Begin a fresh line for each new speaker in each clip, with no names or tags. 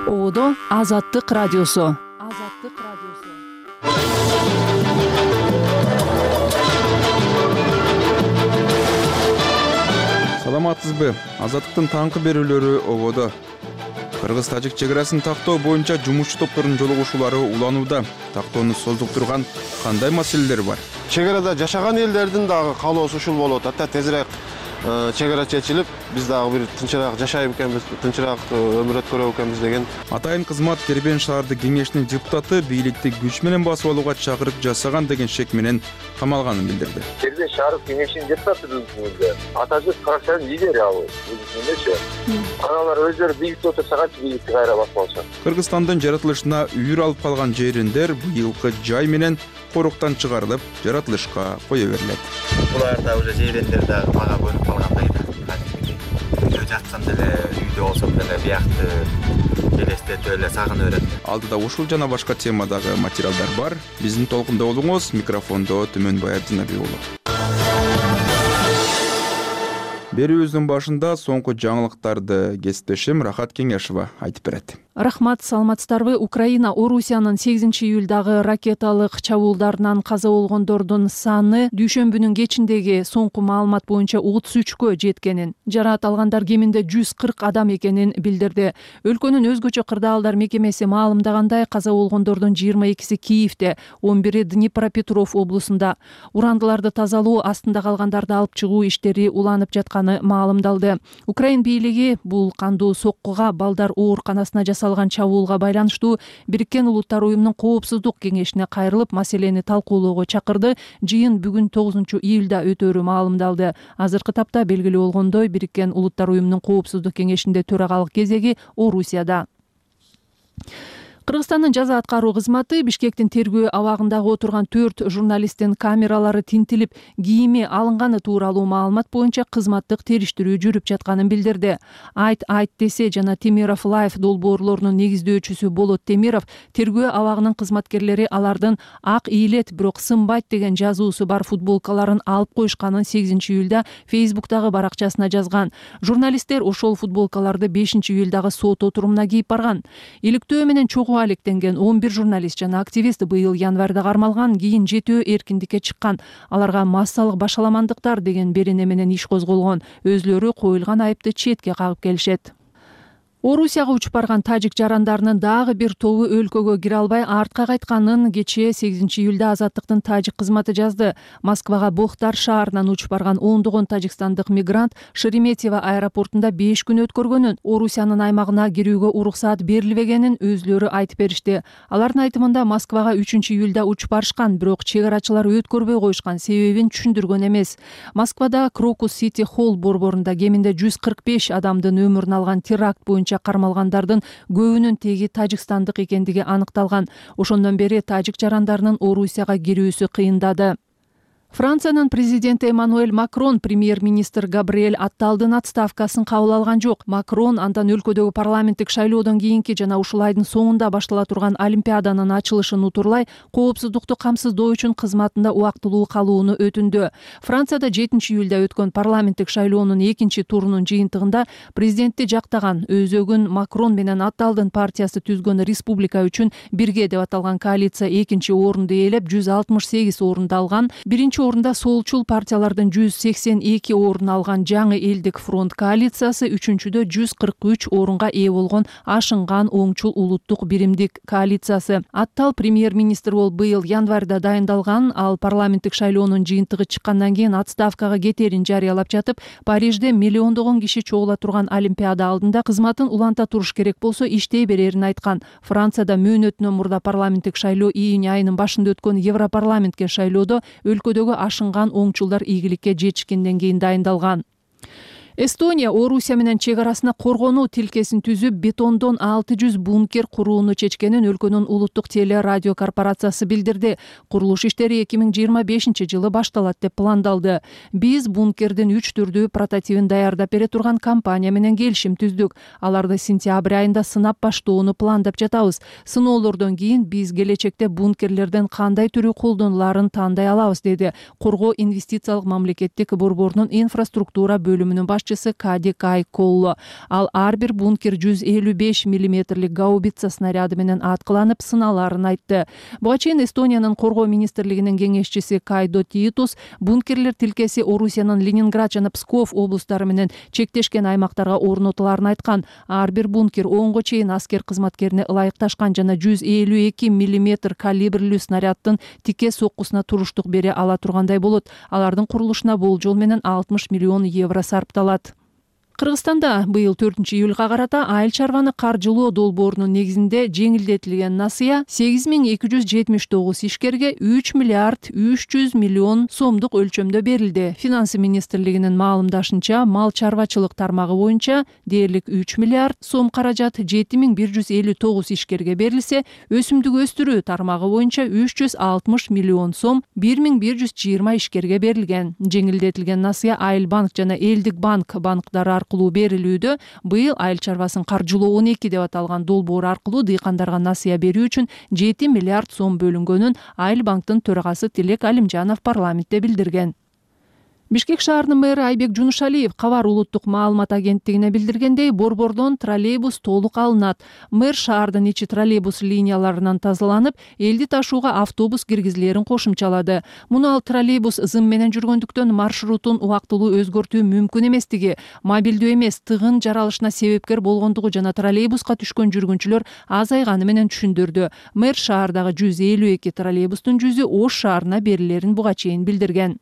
Ободо Азаттык радиосу.
Саламатсызбы? Азаттыктын таңкы берүүлөрү ободо. Кыргыз-тажик чек арасын тактоо боюнча жумушчу топтордун жолугушуулары уланууда. Тактоону создуктурган кандай маселелер бар?
Чек арада жашаган элдердин дагы каалоосу ушул болуп атат. Тезирээк чек ара чечилип, биз дагы бир тынчыраак жашайбы экенбиз, тынчыраак өмүр өткөрөбү экенбиз деген.
Атайын кызмат Кербен шаардык кеңешинин депутаты бийликти күч менен басып алууга чакырык жасаган деген шек менен камалганын билдирди.
Кербен шаардык кеңешинин депутаты атажык фракциянын лидери ал эмнечи. Аналар өздөрү бийликте отурсагачы бийликти кайра басып алышат.
Кыргызстандын жаратылышына үйүр алып калган жериндер быйылкы жай менен коруктан чыгарылып, жаратылышка кое берилет.
Буларда уже жерендер дагы мага бөлүп калгандай да. Үйдө жатсам деле, үйдө болсом деле биякты элестетип эле сагынып берет.
Алдыда ушул жана башка темадагы материалдар бар. Биздин толкунда болуңуз. Микрофондо Түмөнбай Абдинабек уулу. Берүүбүздүн башында соңку жаңылыктарды кесиптешим Рахат Кеңешова айтып берет.
Рахмат, саламатсыздарбы? Украина Орусиянын 8-июлдагы ракеталык чабуулдарынан каза болгондордун саны дүйшөмбүнүн кечиндеги соңку маалымат боюнча 33кө жеткенин, жараат алгандар кеминде 140 адам экенин билдирди. Өлкөнүн өзгөчө кырдаалдар мекемеси маалымдагандай, каза болгондордун 22си Киевде, 11и Днепропетров облусунда. Урандыларды тазалоо, астында калгандарды алып чыгуу иштери уланып жатканы маалымдалды. Украин бийлиги бул кандуу соккуга балдар ооруканасына салган чабуулга байланыштуу Бириккен Улуттар уюмунун коопсуздук кеңешине кайрылып, маселени талкуулоого чакырды. Жыйын бүгүн 9-июлда өтөөрү маалымдалды. Азыркы тапта белгилүү болгондой, Бириккен Улуттар уюмунун коопсуздук кеңешинде төрагалык кезеги Орусияда. Кыргызстандын жаза аткаруу кызматы Бишкектин тергөө абагындагы отурган 4 журналисттин камералары тинтилип, кийими алынганы тууралуу маалымат боюнча кызматтык териштирүү жүрүп жатканын билдирди. Айт десе жана Темиров Лайф долбоорлорунун негиздөөчүсү Болот Темиров тергөө абагынын кызматкерлери алардын ак ийилет, бирок сынбайт деген жазуусу бар футболкаларын алып коюшканын 8-июлда Фейсбуктагы баракчасына жазган. Журналисттер ошол футболкаларды 5-июлдагы сот отурумуна кийип барган. Иликтөө менен алектенген 11 журналист жана активист быйыл январда кармалган, кийин 7 эркиндикке чыккан. Аларга массалык башаламандыктар деген берене менен иш козголгон. Өзлөрү коюлган айыпты четке кагып келишет. Орусияга учуп барган тажик жарандарынын дагы бир тобу өлкөгө кире албай артка кайтканын кечээ 8-июлда Азаттыктын тажик кызматы жазды. Москвага Бохтар шаарынан учуп барган ондогон тажикстандык мигрант Шереметьево аэропортунда 5 күн өткөргөнүн, Орусиянын аймагына кирүүгө уруксаат берилбегенин өзлөрү айтып беришти. Алардын айтымында Москвага 3-июлда учуп барышкан, бирок чек арачылар өткөрбөй коюшкан, себебин түшүндүргөн эмес. Москвада Крокус Сити Холл борборунда кеминде 145 адамдын өмүрүн алган теракт боюнча кармалгандардын көбүнүн теги тажикстандык экендиги аныкталган. Ошондон бери тажик жарандарынын Орусияга кирүүсү кыйындады. Франциянын президенти Эммануэль Макрон премьер-министр Габриэль Атталдын отставкасын кабыл алган жок. Макрон андан өлкөдөгү парламенттик шайлоодон кийинки жана ушул айдын соңунда баштала турган Олимпиаданын ачылышын утурлай, коопсуздукту камсыздоо үчүн кызматында убактылуу калууну өтүндү. Францияда 7-июлда өткөн парламенттик шайлоонун 2 турунун жыйынтыгында президентти жактаган, өзөгүн Макрон менен Атталдын партиясы түзгөн Республика үчүн бирге деп аталган коалиция 2 орунду ээлеп 168 орунду алган. 1 орунда солчул партиялардын 182 орун алган жаңы элдик фронт коалициясы, 3-чүдө 143 орунга ээ болгон ашынган оңчул улуттук биримдик коалициясы. Аттал премьер-министр болуп быйыл январда дайындалган. Ал парламенттик шайлоонун жыйынтыгы чыккандан кийин отставкага кетерин жарыялап жатып, Парижде миллиондогон киши чогула турган Олимпиада алдында кызматын уланта туруш керек болсо иштей берерин айткан. Францияда мөөнөтүнөн мурда парламенттик шайлоо июнь айынын башында өткөн Европарламентке шайлоодо өлкөдөгү ашынган оңчулдар ийгиликке жетишкенден кийин дайындалган. Эстония Орусия менен чек арасына коргонуу тилкесин түзүп, бетондон 600 бункер курууну чечкенин өлкөнүн улуттук телерадио корпорациясы билдирди. Курулуш иштери 2025-жылы башталат деп пландалды. Биз бункердин 3 түрдүү прототипин даярдап бере турган компания менен келишим түздүк. Аларды сентябрь айында сынап баштоону пландап жатабыз. Сыноолордон кийин биз келечекте бункерлерден кандай түрү колдонуларын тандай алабыз, деди Коргоо инвестициялык мамлекеттик борборунун инфраструктура бөлүмүнүн башчысы Кадик Айколло. Ал ар бир бункер 155 мм гаубица снаряды менен аткыланып сыналарын айтты. Буга чейин Эстониянын коргоо министрлигинин кеңешчиси Кайдо Титус бункерлер тилкеси Орусиянын Ленинград жана Псков облустары менен чектешкен аймактарга орнотуларын айткан. Ар бир бункер 10го чейин аскер кызматкерине ылайыкташкан жана 152 мм калибрлүү снаряддын тике соккусуна туруштук бере ала тургандай болот. Алардын курулушуна болжол менен 60 миллион евро сарпталат. Кыргызстанда быйыл 4-июлга карата айыл чарбаны каржылоо долбоорунун негизинде жеңилдетилген насыя 8279 ишкерге 3 миллиард 300 миллион сомдук өлчөмдө берилди. Финансы министрлигинин маалымдашынча, мал чарбачылык тармагы боюнча дээрлик 3 миллиард сом каражат 7159 ишкерге берилсе, өсүмдүк өстүрүү тармагы боюнча 360 миллион сом 1120 ишкерге берилген. Жеңилдетилген насыя Айыл банк жана Элдик банк банктары аркылуу берилүүдө. Быйыл айыл чарбасын каржылоо 12 деп аталган долбоор аркылуу дыйкандарга насыя берүү үчүн 7 миллиард сом бөлүнгөнүн Айыл банктын төрагасы Тилек Алимжанов парламентте билдирген. Бишкек шаарынын мэрі Айбек Жунушалиев Кабар улуттук маалымат агенттигине билдиргендей, борбордон троллейбус толук алынат. Мэр шаардын ичи троллейбус линияларынан тазаланып, элди ташууга автобус киргизилерин кошумчалады. Муну ал троллейбус зым менен жүргөндүктөн маршрутун убактылуу өзгөртүү мүмкүн эместиги, мобилдүү эмес тыгын жаралышына себепкер болгондугу жана троллейбуска түшкөн жүргүнчүлөр азайганы менен түшүндүрдү. Мэр шаардагы 152 троллейбустун 100-ü Ош шаарына берилерин буга чейин билдирген.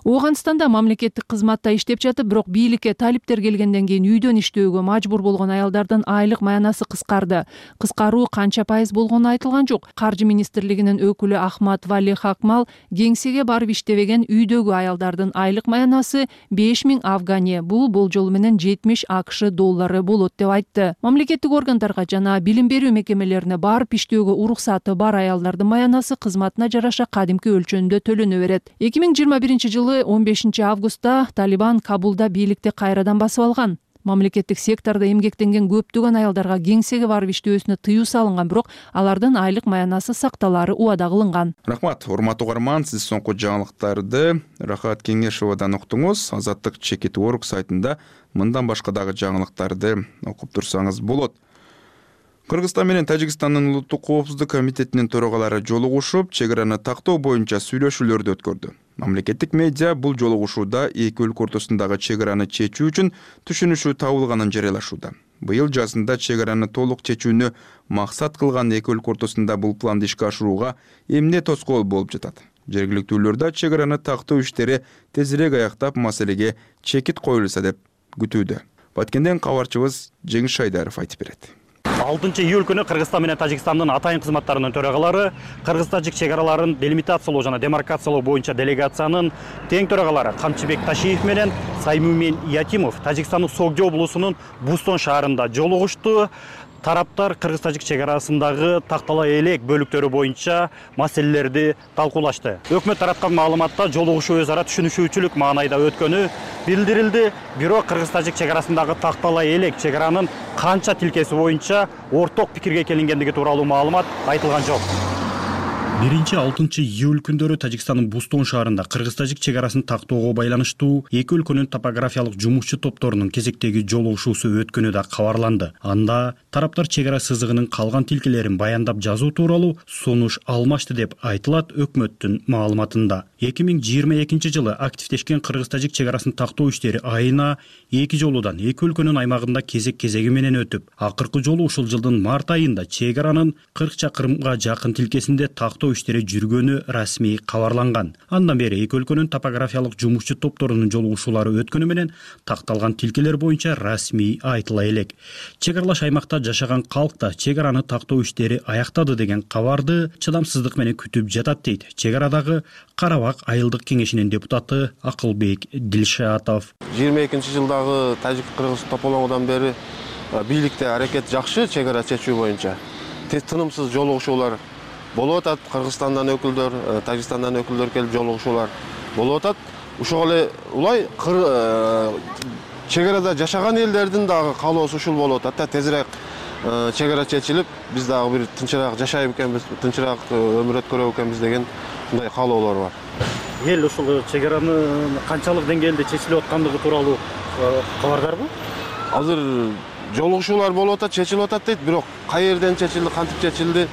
Ооганстанда мамлекеттик кызматта иштеп жатып, бирок бийликке талиптер келгенден кийин үйдөн иштөөгө мажбур болгон аялдардын айлык маянасы кыскарды. Кыскаруу канча пайыз болгону айтылган жок. Каржы министрлигинин өкүлү Ахмат Вали Хакмал кеңсеге барып иштебеген үйдөгү аялдардын айлык маянасы 5000 афгане, бул болжол менен 70 АКШ доллары болот деп айтты. Мамлекеттик органдарга жана билим берүү мекемелерине барып иштөөгө уруксаты бар аялдардын маянасы кызматына жараша кадимки өлчөмдө төлөнө берет. 2021-жылы 15 августта Талибан Кабулда бийликти кайрадан басып алган. Мамлекеттик сектордо эмгектенген көптөгөн аялдарга кеңсеге барып иштөөсүнө тыюу салынган, бирок алардын айлык маянасы сакталары убада кылынган.
Рахмат, урматтуу угарман, сиз соңку жаңылыктарды Рахат Кеңешовадан уктуңуз. Азаттык Чекит.org сайтында мындан башка дагы жаңылыктарды окуп турсаңыз болот. Кыргызстан менен Тажикстандын улуттук коопсуздук комитетинин төрагалары жолугушуп, чек араны тактоо боюнча сүйлөшүүлөрдү өткөрдү. Мамлекеттик медиа бул жолугушууда эки өлкө ортосундагы чек араны чечүү үчүн түшүнүшүү табылганын жарыялашууда. Быйыл жазында чек араны толук чечүүнү максат кылган эки өлкө ортосунда бул планды ишке ашырууга эмне тоскоол болуп жатат? Жергиликтүүлөрдө чек араны тактоо иштери тезирээк аяктап, маселеге чекит коюлса деп күтүүдө. Баткенден кабарчыбыз Жеңиш Шайдаров айтып берет.
6-июль күнү Кыргызстан менен Тажикстандын атайын кызматтарынын төрагалары Кыргыз-Тажик чек араларын делимитациялоо жана демаркациялоо боюнча делегациянын тең төрагалары Камчыбек Ташиев менен Саймумен Ятимов Тажикстандын Согдо облусунун Бустон шаарында жолугушту. Тараптар Кыргыз-Тажик чек арасындагы тактала элек бөлүктөрү боюнча маселелерди талкуулашты. Өкмөт тараткан маалыматта жолугушуу өз ара түшүнүшүүчүлүк маанайда өткөнү билдирилди. Бирок Кыргыз-Тажик чек арасындагы тактала элек чек аранын канча тилкеси боюнча орток пикирге келингендиги тууралуу маалымат айтылган жок. 1-6 күндөрү Тажикстандын Бустон шаарында Кыргыз-Тажик чек арасын тактоого байланыштуу эки өлкөнүн топографиялык жумушчу топторунун кезектеги жолугушуусу өткөнү да кабарланды. Анда тараптар чек ара сызыгынын калган тилкелерин баяндап жазуу тууралуу сунуш алмашты деп айтылат өкмөттүн маалыматында. 2022-жылы активдешкен Кыргыз-Тажик чек арасын тактоо иштери айына 2 жолудан эки өлкөнүн аймагында кезек-кезеги менен өтүп, акыркы жолу ушул жылдын март айында чек аранын 40 чакырымга жакын тилкесинде тактоо иштери жүргөнү расмий кабарланган. Андан бери эки өлкөнүн топографиялык жумушчу топторунун жолугушуулары өткөнү менен такталган тилкелер боюнча расмий айтыла элек. Чек аралаш аймакта жашаган калк да чек араны тактоо иштери аяктады деген кабарды чыдамсыздык менен күтүп жатат дейт чек арадагы Карабак айылдык кеңешинин депутаты Акылбек Дилшатов.
22-жылдагы Тажик-Кыргыз тополоңудан бери бийликте аракет жакшы чек ара чечүү боюнча. Тынымсыз жолугушуулар болуп атат. Кыргызстандан өкүлдөр, Тажикстандан өкүлдөр келип жолугушуулар болуп атат. Ошол эле улай чек арада жашаган элдердин дагы каалоосу ушул болуп атат да, тезирээк чек ара чечилип, биз дагы бир тынчыраак жашайбы экенбиз, тынчыраак өмүр өткөрөбү экенбиз деген мындай каалоолор бар.
Эл ушул чегаранын канчалык деңгээлде чечилип аткандыгы тууралуу кабардарбы?
Азыр жолугушуулар болуп атат, чечилип атат дейт, бирок кай жерден чечилди, кантип чечилди,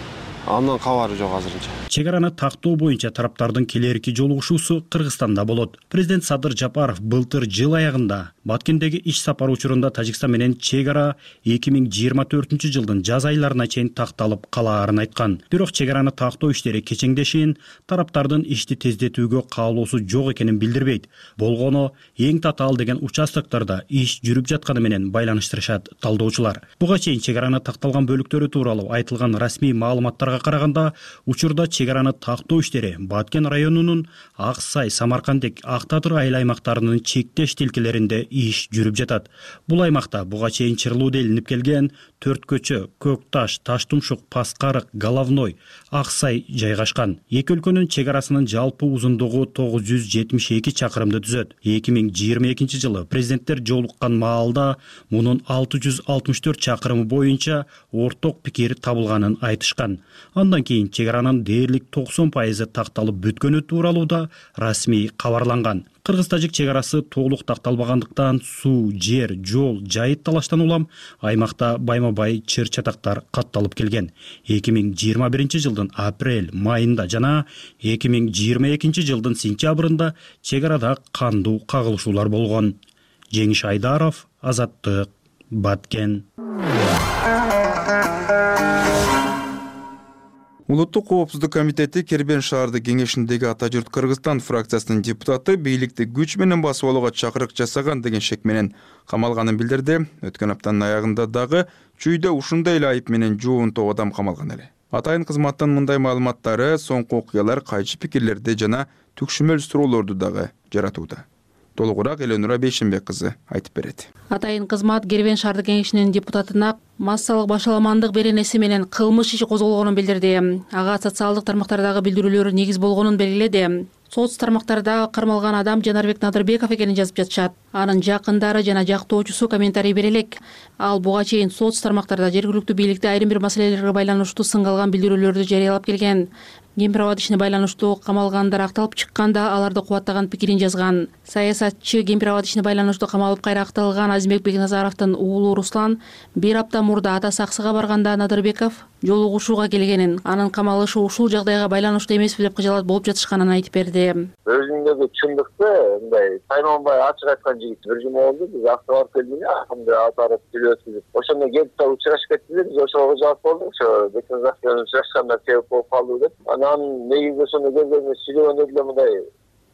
андан кабары жок азырынча.
Чегараны тактоо боюнча тараптардын келерки жолугушуусу Кыргызстанда болот. Президент Садыр Жапаров былтыр жыл аягында Баткендеги иш сапары учурунда Тажикстан менен чегара 2024-жылдын жаз айларына чейин такталып калаарын айткан. Бирок чегараны тактоо иштери кечеңдешин, тараптардын ишти тездетүүгө каалоосу жок экенин билдирбейт. Болгону эң татаал деген участоктордо иш жүрүп жатканы менен байланыштырышат талдоочулар. Буга чейин чегараны такталган бөлүктөрү тууралуу айтылган расмий маалыматтарга караганда, учурда чегараны тактоо иштери Баткен районунун Ак Сай, Самаркандек, Ак Татыр айыл аймактарынын чектеш тилкелеринде иш жүрүп жатат. Бул аймакта буга чейин чырлууду илинип келген Төрт көчө, Көк Таш, Таштумшук, Паскарык, Головной, Ак Сай жайгашкан. Эки өлкөнүн чегарасынын жалпы узундугу 972 чакырымды түзөт. 2022-жылы президенттер жолуккан маалда мунун 664 чакырымы боюнча орток пикир табылганын айтышкан. Андан кийин чегаранын дээрлик 90% такталып бүткөнү тууралуу да расмий кабарланган. Кыргыз-тажик чегарасы толук такталбагандыктан суу, жер, жол, жайыт талаштан улам аймакта байма-бай чыр-чатактар катталып келген. 2021-жылдын апрель, майында жана 2022-жылдын сентябрында чегарада кандуу кагылышуулар болгон. Жеңиш Айдаров, Азаттык, Баткен.
Улуттук коопсуздук комитети Кербен шаарды кеңешиндеги Ата журт Кыргызстан фракциясынын депутаты бийликти күч менен басып алууга чакырык жасаган деген шек менен камалганын билдирди. Өткөн аптанын аягында дагы чүйдө ушундай эле айып менен жуунтоо адам камалган эле. Атайын кызматтын мындай маалыматтары соңку окуялар кайчы пикирлерди жана түкшүмөл суроолорду дагы жаратууда. Толугураак Эленура Бейшенбек кызы айтып берет.
Атайын кызмат Кербен шаарды кеңешинин депутатына массалык башаламандык беренеси менен кылмыш иши козголгонун билдирди. Ага социалдык тармактардагы билдирүүлөр негиз болгонун белгиледи. Соц тармактарда кармалган адам Жанарбек Надырбеков экенин жазып жатышат. Анын жакындары жана жактоочусу комментарий бере элек. Ал буга чейин соц тармактарда жергиликтүү бийликте айрым бир маселелерге байланыштуу сыңгалган билдирүүлөрдү жарыялап келген. Кемпир-абад ишине байланыштуу камалгандар акталып чыкканда аларды кубаттаган пикирин жазган. Саясатчы кемпир-абад ишине байланыштуу камалып кайра акталган Азимбек Бекназаровдун уулу Руслан бир апта мурда атасы Аксыга барганда Надырбеков жолугушууга келгенин, анын камалышы ушул жагдайга байланыштуу эмеспи деп кыжалат болуп жатышканын айтып берди.
Өзүндөгү чындыкты мындай тайманбай ачык айткан жигит бир жума болду. Биз Аксыга барып келдик, акырында атарып сүйлөшүп, ошондо келип да учурашып кеттик. Биз ошого жалп болдук. Ошо Бекназаров менен учурашканда себеп болуп калды деп. Анан негизи ошондо келгенде сүйлөгөндө деле мындай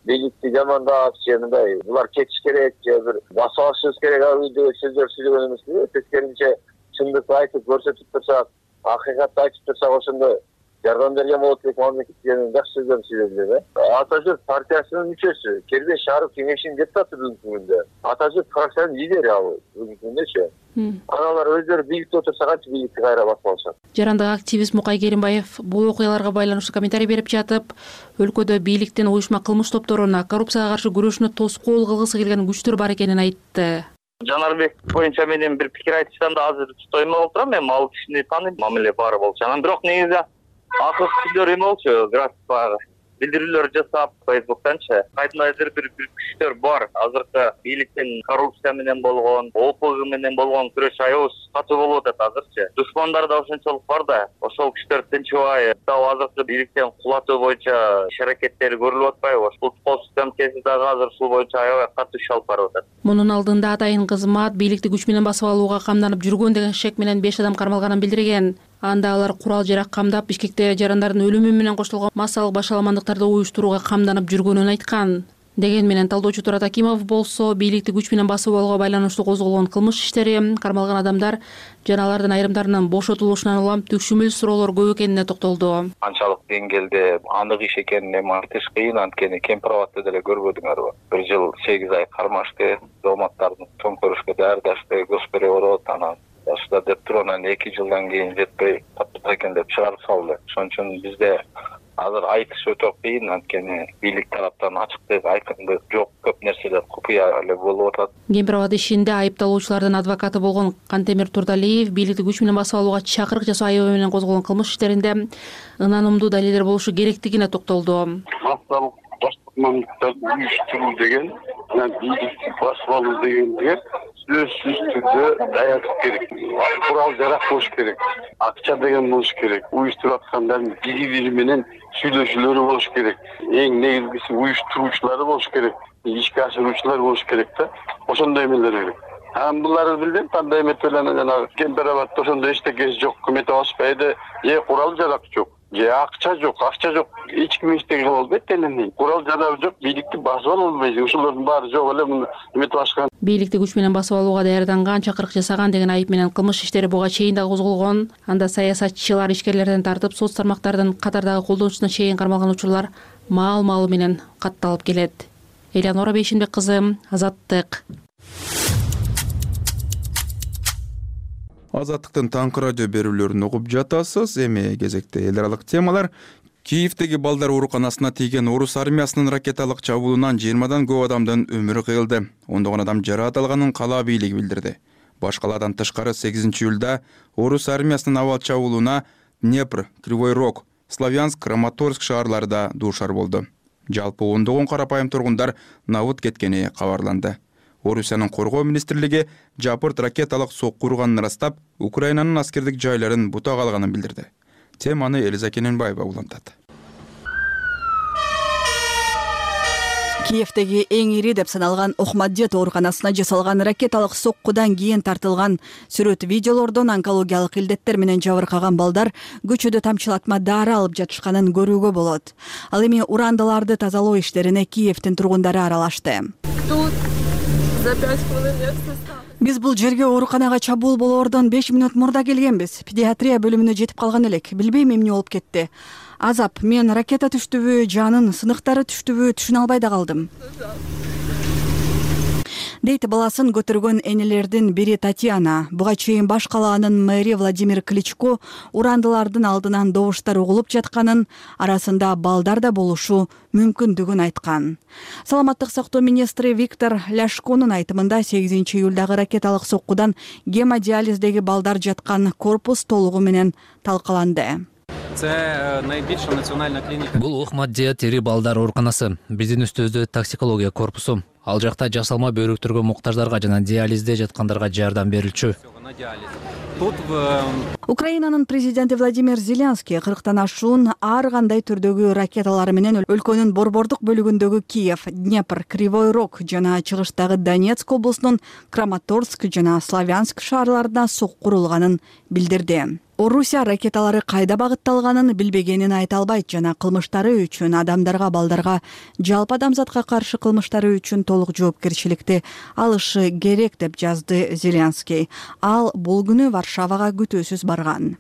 бийликти жамандап, мындай булар кетиш керек, же бир басып алышыбыз керек деген сөздөр сүйлөгөн эмес. Тескерисинче чындыкты айтып көрсөтүп турсак, акыйкатты айтып турсак, ошондо жардам берген болот деп мамлекеттен жакшы сөздөрдү сүйлөдү. Ата журт партиясынын мүчөсү, Кербен шаары кеңешинин депутаты бүгүнкү күндө. Ата журт фракциянын лидери ал бүгүнкү күндөчү. Аналар өздөрү бийликте отурса канча бийликти кайра басып алышат.
Жарандык активист Мукай Керимбаев бул окуяларга байланыштуу комментарий берип жатып, өлкөдө бийликтин уюшма кылмыш топторуна коррупцияга каршы күрөшүнө тоскоол кылгысы келген күчтөр бар экенин айтты.
Жанарбек боюнча менен бир пикир айтышканда азыр тоймой отурам. Мен ал кишини тааныйм, мамиле баары болчу. Анан бирок негизи акылсыздыр эме болчу, график баягы билдирүүлөр жасап Facebook'танчы. Кайдандыр бир күчтөр бар. Азыркы бийликтин коррупция менен болгон, ОПГ менен болгон күрөш аябай катуу болуп атат азырчы. Душмандар да ошончолук бар да. Ошол күчтөр тынчыбай, дагы азыркы бийликтен кулатуу боюнча иш-аракеттери көрүлүп атпайбы? Улуттук коопсуздук комитети дагы азыр ушул боюнча аябай катуу иш алып барып атат.
Мунун алдында атайын кызмат бийликти күч менен басып алууга камданып жүргөн деген шек менен 5 адам кармалганын билдирген. Анда алар курал жарак камдап, Бишкекте жарандардын өлүмү менен коштолгон массалык башаламандыктарды уюштурууга камданып жүргөнүн айткан. Деген менен талдоочу Турат Акимов болсо, бийликти күч менен басып алууга байланыштуу козголгон кылмыш иштери, кармалган адамдар жана алардын айрымдарынын бошотулушунан улам түкшүмөл суроолор көп экенине токтолду.
Канчалык деңгээлде анык иш экенин эми айтыш кыйын, анткени Кемпир-Абадты деле көрбөдүңөрбү? 1 жыл 8 ай кармашты, дооматтардын төңкөрүшкө даярдашты, госперевод, анан ошондо деп туруп анан 2 жылдан кийин жетпей таптык экен деп чыгарып салды. Ошон үчүн бизде Азыр айтыш өтө кыйын, анткени бийлик тараптан ачыктык, айкындык жок, көп нерселер купуя эле болуп атат.
Кемпир абад ишинде айыпталуучулардын адвокаты болгон Кантемир Турдалиев бийликти күч менен басып алууга чакырык жасоо айыбы менен козголгон кылмыш иштеринде ынанымдуу далилдер болушу керектигине токтолду.
Массалык башкармалыктарды уюштуруу деген, бийликти басып алуу дегенге сөзсүз түрдө даярдык керек. Курал жарак болуш керек. Акча деген болуш керек. Уюштуруп аткандардын бири-бири менен сүйлөшүүлөрү болуш керек. Эң негизгиси уюштуруучулары болуш керек. Ишке ашыруучулар болуш керек да. Ошондой эмелер керек. Буларды билбейм, кандай эмет менен жанагы Кемпир абадта ошондой эчтекеси жок, өкмөт алышпайды, курал жарак жок. Акча жок, эч ким эчтеке кыла албайт эле. Курал жарак жок, бийликти басып ала албайсың. Ошолордун баары жок эле, муну эметип ашкан.
Бийликти күч менен басып алууга даярданган, чакырык жасаган деген айып менен кылмыш иштери буга чейин да козголгон. Анда саясатчылар, ишкерлерден тартып, соц тармактардын катардагы колдонуучусуна чейин кармалган учурлар маал-маалы менен катталып келет. Элеонора Бейшенбек кызы, Азаттык.
Азаттыктын таңкы радио берүүлөрүн угуп жатасыз. Эми кезекте эл аралык темалар. Киевдеги балдар ооруканасына тийген орус армиясынын ракеталык чабуулунан 20дан көп адамдын өмүрү кыйылды. Ондогон адам жаракат алганын кала бийлиги билдирди. Баш калаадан тышкары 8-июлда орус армиясынын абал чабуулуна Днепр, Кривой Рог, Славянск, Краматорск шаарлары да дуушар болду. Жалпы ондогон карапайым тургундар набыт кеткени кабарланды. Орусиянын коргоо министрлиги жапырт ракеталык сокку урганын ырастап, Украинанын аскердик жайларын бутак алганын билдирди. Теманы Элиза Кененбаева улантат.
Киевдеги эң ири деп саналган Охмаддет ооруканасына жасалган ракеталык соккудан кийин тартылган сүрөт видеолордон онкологиялык илдеттер менен жабыркаган балдар көчөдө тамчылатма дары алып жатышканын көрүүгө болот. Ал эми урандыларды тазалоо иштерине Киевдин тургундары аралашты. Биз бул жерге ооруканага чабуул болоордон 5 мүнөт мурда келгенбиз. Педиатрия бөлүмүнө жетип калган элек. Билбейм эмне болуп кетти. Азап, мен ракета түштүбү, жанын сыныктары түштүбү түшүнө албай да калдым. Дейт баласын көтөргөн энелердин бири Татьяна. Буга чейин баш калаанын мэри Владимир Кличко урандылардын алдынан добуштар угулуп жатканын, арасында балдар да болушу мүмкүндүгүн айткан. Саламаттык сактоо министри Виктор Ляшконун айтымында 8-июлдагы ракеталык соккудан гемодиализдеги балдар жаткан корпус толугу менен талкаланды.
Бул Охмаддет ири балдар ооруканасы. Биздин үстүбүздө токсикология корпусу. Ал жакта жасалма бөйрөктөргө муктаждарга жана диализде жаткандарга жардам берилчү.
Украинанын президенти Владимир Зеленский 40тан ашуун ар кандай түрдөгү ракеталары менен өлкөнүн борбордук бөлүгүндөгү Киев, Днепр, Кривой Рог жана чыгыштагы Донецк облусунун Краматорск жана Славянск шаарларына сокку урулганын билдирди. Орусия ракеталары кайда багытталганын билбегенин айта албайт жана кылмыштары үчүн адамдарга, балдарга, жалпы адамзатка каршы кылмыштары үчүн толук жоопкерчиликти алышы керек деп жазды Зеленский. Ал бул күнү Варшавага күтүүсүз барган.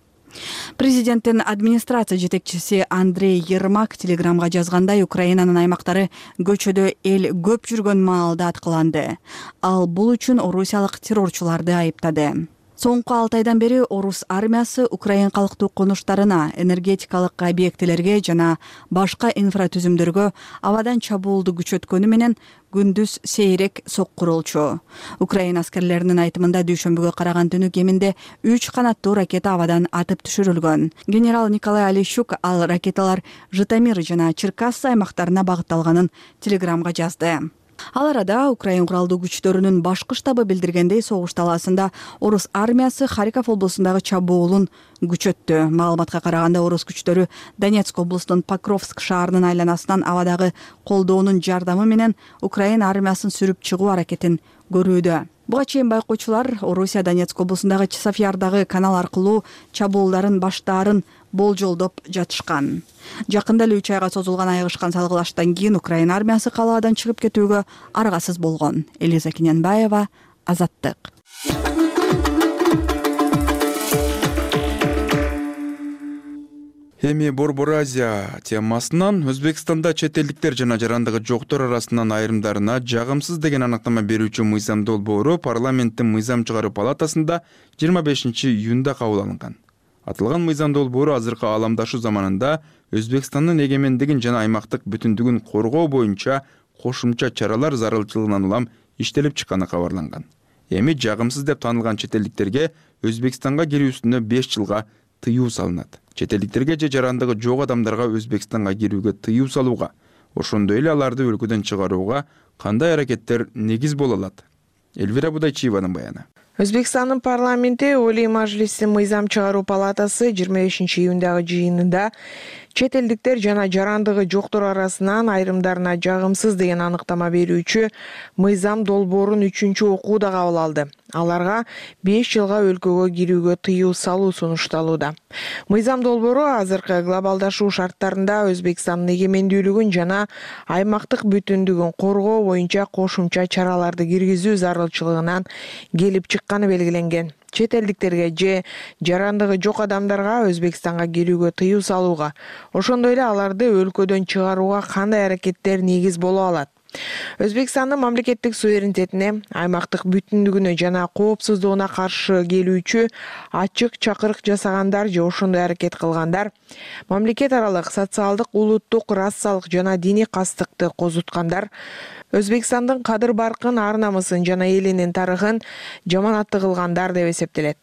Президенттин администрация жетекчиси Андрей Ермак телеграмга жазгандай, Украинанын аймактары көчөдө эл көп жүргөн маалда аткыланды. Ал бул үчүн орусиялык террорчуларды айыптады. Соңку 6 айдан бери орус армиясы Украин калктуу конуштарына, энергетикалык объектилерге жана башка инфратүзүмдөргө абадан чабуулду күчөткөнү менен күндүз сейрек соккурулчу. Украин аскерлеринин айтымында дүйшөмбүгө караган түнү кеминде 3 канаттуу ракета абадан атып түшүрүлгөн. Генерал Николай Алищук ал ракеталар Житомир жана Черкассы аймактарына багытталганын телеграмга жазды. Ал арада Украин куралдуу күчтөрүнүн башкы штабы билдиргендей, согуш талаасында орус армиясы Харьков облусундагы чабуулун күчөттү. Маалыматка караганда орус күчтөрү Донецк облусунун Покровск шаарынын айланасынан абадагы колдоонун жардамы менен Украин армиясын сүрүп чыгуу аракетин көрүүдө. Буга чейин байкоочулар Орусия Донецк облусундагы Часофьярдагы канал аркылуу чабуулдарын баштаарын болжолдоп жатышкан. Жакында эле 3 айга созулган айыгышкан салгылаштан кийин Украин армиясы калаадан чыгып кетүүгө аргасыз болгон. Элиза Кененбаева, Азаттык.
Эми Борбор Азия темасынан Өзбекстанда чет элдиктер жана жарандыгы жоктор арасынан айрымдарына жагымсыз деген аныктама берүүчү мыйзам долбоору парламенттин мыйзам чыгаруу палатасында 25-июнда кабыл алынган. Атылган мыйзам долбоору азыркы ааламдашуу заманында Өзбекстандын эгемендигин жана аймактык бүтүндүгүн коргоо боюнча кошумча чаралар зарылчылыгынан улам иштелип чыкканы кабарланган. Эми жагымсыз деп таанылган чет элдиктерге Өзбекстанга кирүүсүнө 5 жылга тыюу салынат. Чет элдиктерге же жарандыгы жок адамдарга Өзбекстанга кирүүгө тыюу салууга, ошондой эле аларды өлкөдөн чыгарууга кандай аракеттер негиз боло алат? Элвира Будайчиеванын баяны.
Өзбекстандын парламенти Олий Мажлиси мыйзам чыгаруу палатасы 25 июндагы жыйынында чет элдиктер жана жарандыгы жоктор арасынан айрымдарына жагымсыз деген аныктама берүүчү мыйзам долбоорун 3-окууда кабыл алды. Аларга 5 жылга өлкөгө кирүүгө тыюу салуу сунушталууда. Мыйзам долбоору азыркы глобалдашуу шарттарында Өзбекстандын эгемендүүлүгүн жана аймактык бүтүндүгүн коргоо боюнча кошумча чараларды киргизүү зарылчылыгынан келип чыкканы белгиленген. Чет элдиктерге же жарандыгы жок адамдарга Өзбекстанга кирүүгө тыюу салууга, ошондой эле аларды өлкөдөн чыгарууга кандай аракеттер негиз боло алат? Өзбекстандын мамлекеттик суверенитетине, аймактык бүтүндүгүнө жана коопсуздугуна каршы келүүчү ачык чакырык жасагандар же ошондой аракет кылгандар, мамлекет аралык социалдык, улуттук, расалык жана диний кастыкты козуткандар, Өзбекстандын кадыр-баркын, ар-намысын жана элинин тарыхын жаманатты кылгандар деп эсептелет.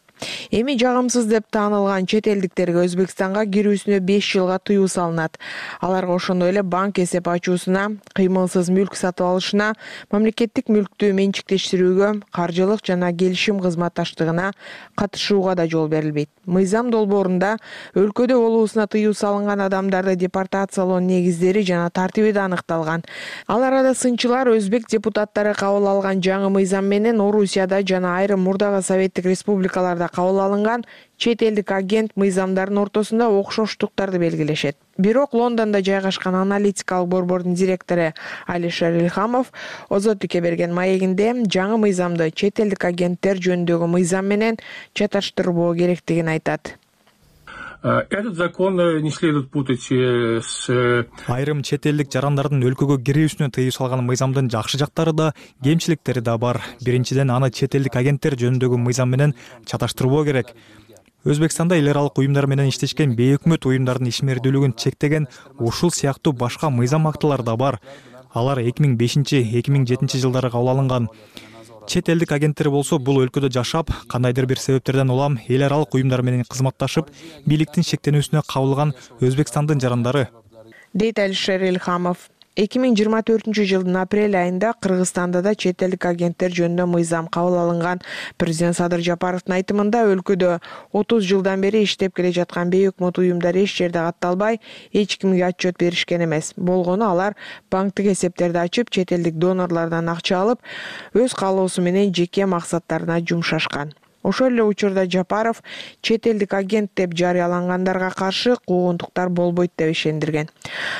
Эми жагымсыз деп таанылган чет элдиктерге Өзбекстанга кирүүсүнө 5 жылга тыюу салынат. Аларга ошондой эле банк эсеп ачуусуна, кыймылсыз мүлк сатып алышына, мамлекеттик мүлктү менчиктештирүүгө, каржылык жана келишим кызматташтыгына катышууга да жол берилбейт. Мыйзам долбоорунда өлкөдө болуусуна тыюу салынган адамдарды депортациялоо негиздери жана тартиби да аныкталган. Ал арада сынчылар өзбек депутаттары кабыл алган жаңы мыйзам менен Орусияда жана айрым мурдагы Советтик республикаларда кабыл алынган чет элдик агент мыйзамдардын ортосунда окшоштуктарды белгилешет. Бирок Лондондо жайгашкан аналитикалык борбордун директору Алишер Илхамов Озоддукке берген маегинде жаңы мыйзамды чет элдик агенттер жөнүндөгү мыйзам менен чаташтырбоо керектигин айтат.
Этот закон не следует путать с...
Айрым чет элдик жарандардын өлкөгө кирүүсүнө тыюу салган мыйзамдын жакшы жактары да, кемчиликтери да бар. Биринчиден, аны чет элдик агенттер жөнүндөгү мыйзам менен чаташтырбоо керек. Өзбекстанда эл аралык уюмдар менен иштешкен бейөкмөт уюмдардын ишмердүүлүгүн чектеген ушул сыяктуу башка мыйзам актылар да бар. Алар 2005-2007 жылдары кабыл алынган. Чет элдик агенттер болсо бул өлкөдө жашап, кандайдыр бир себептерден улам эл аралык уюмдар менен кызматташып, бийликтин шектенүүсүнө кабылган Өзбекстандын жарандары.
Дейт Алишер Илхамов. 2024 жылдын апрель айында Кыргызстанда да чет элдик агенттер жөнүндө мыйзам кабыл алынган. Президент Садыр Жапаровдун айтымында өлкөдө 30 жылдан бери иштеп келе жаткан бейөкмөт уюмдар эч жерде катталбай, эч кимге отчет беришкен эмес. Болгону алар банктык эсептерди ачып, чет элдик донорлордон акча алып, өз каалоосу менен жеке максаттарына жумшашкан. Ошол эле учурда Жапаров чет элдик агент деп жарыялангандарга каршы куугунтуктар болбойт деп ишендирген.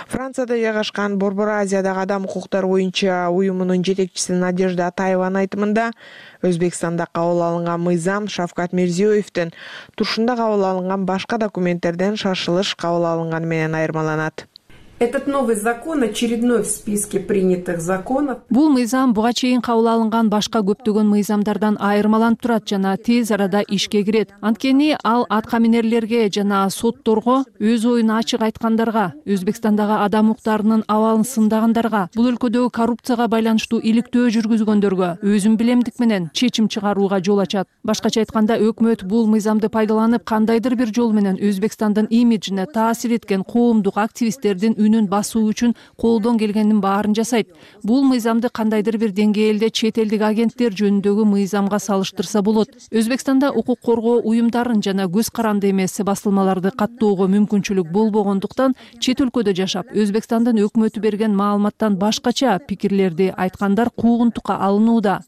Францияда жайгашкан Борбор Азиядагы адам укуктары боюнча уюмунун жетекчиси Надежда Атаеванын айтымында Өзбекстанда кабыл алынган мыйзам Шавкат Мирзиёевдин туршунда кабыл алынган башка документтерден шашылыш кабыл алынганы менен айырмаланат.
Этот новый закон очередной в списке принятых законов.
Бул мыйзам буга чейин кабыл алынган башка көптөгөн мыйзамдардан айырмаланып турат жана тез арада ишке кирет. Анткени ал атка минерлерге жана сотторго өз оюн ачык айткандарга, Өзбекстандагы адам укуктарынын абалын сындагандарга, бул өлкөдөгү коррупцияга байланыштуу иликтөө жүргүзгөндөргө өзүн билемдик менен чечим чыгарууга жол ачат. Башкача айтканда, өкмөт бул мыйзамды пайдаланып кандайдыр бир жол менен Өзбекстандын имиджине таасир эткен коомдук активисттердин үнүн басуу үчүн колдон келгенин баарын жасайт. Бул мыйзамды кандайдыр бир деңгээлде чет элдик агенттер жөнүндөгү мыйзамга салыштырса болот. Өзбекстанда укук коргоо уюмдарын жана көз каранды эмес басылмаларды каттоого мүмкүнчүлүк болбогондуктан чет өлкөдө жашап, Өзбекстандын өкмөтү берген маалыматтан башкача пикирлерди айткандар куугунтукка алынууда.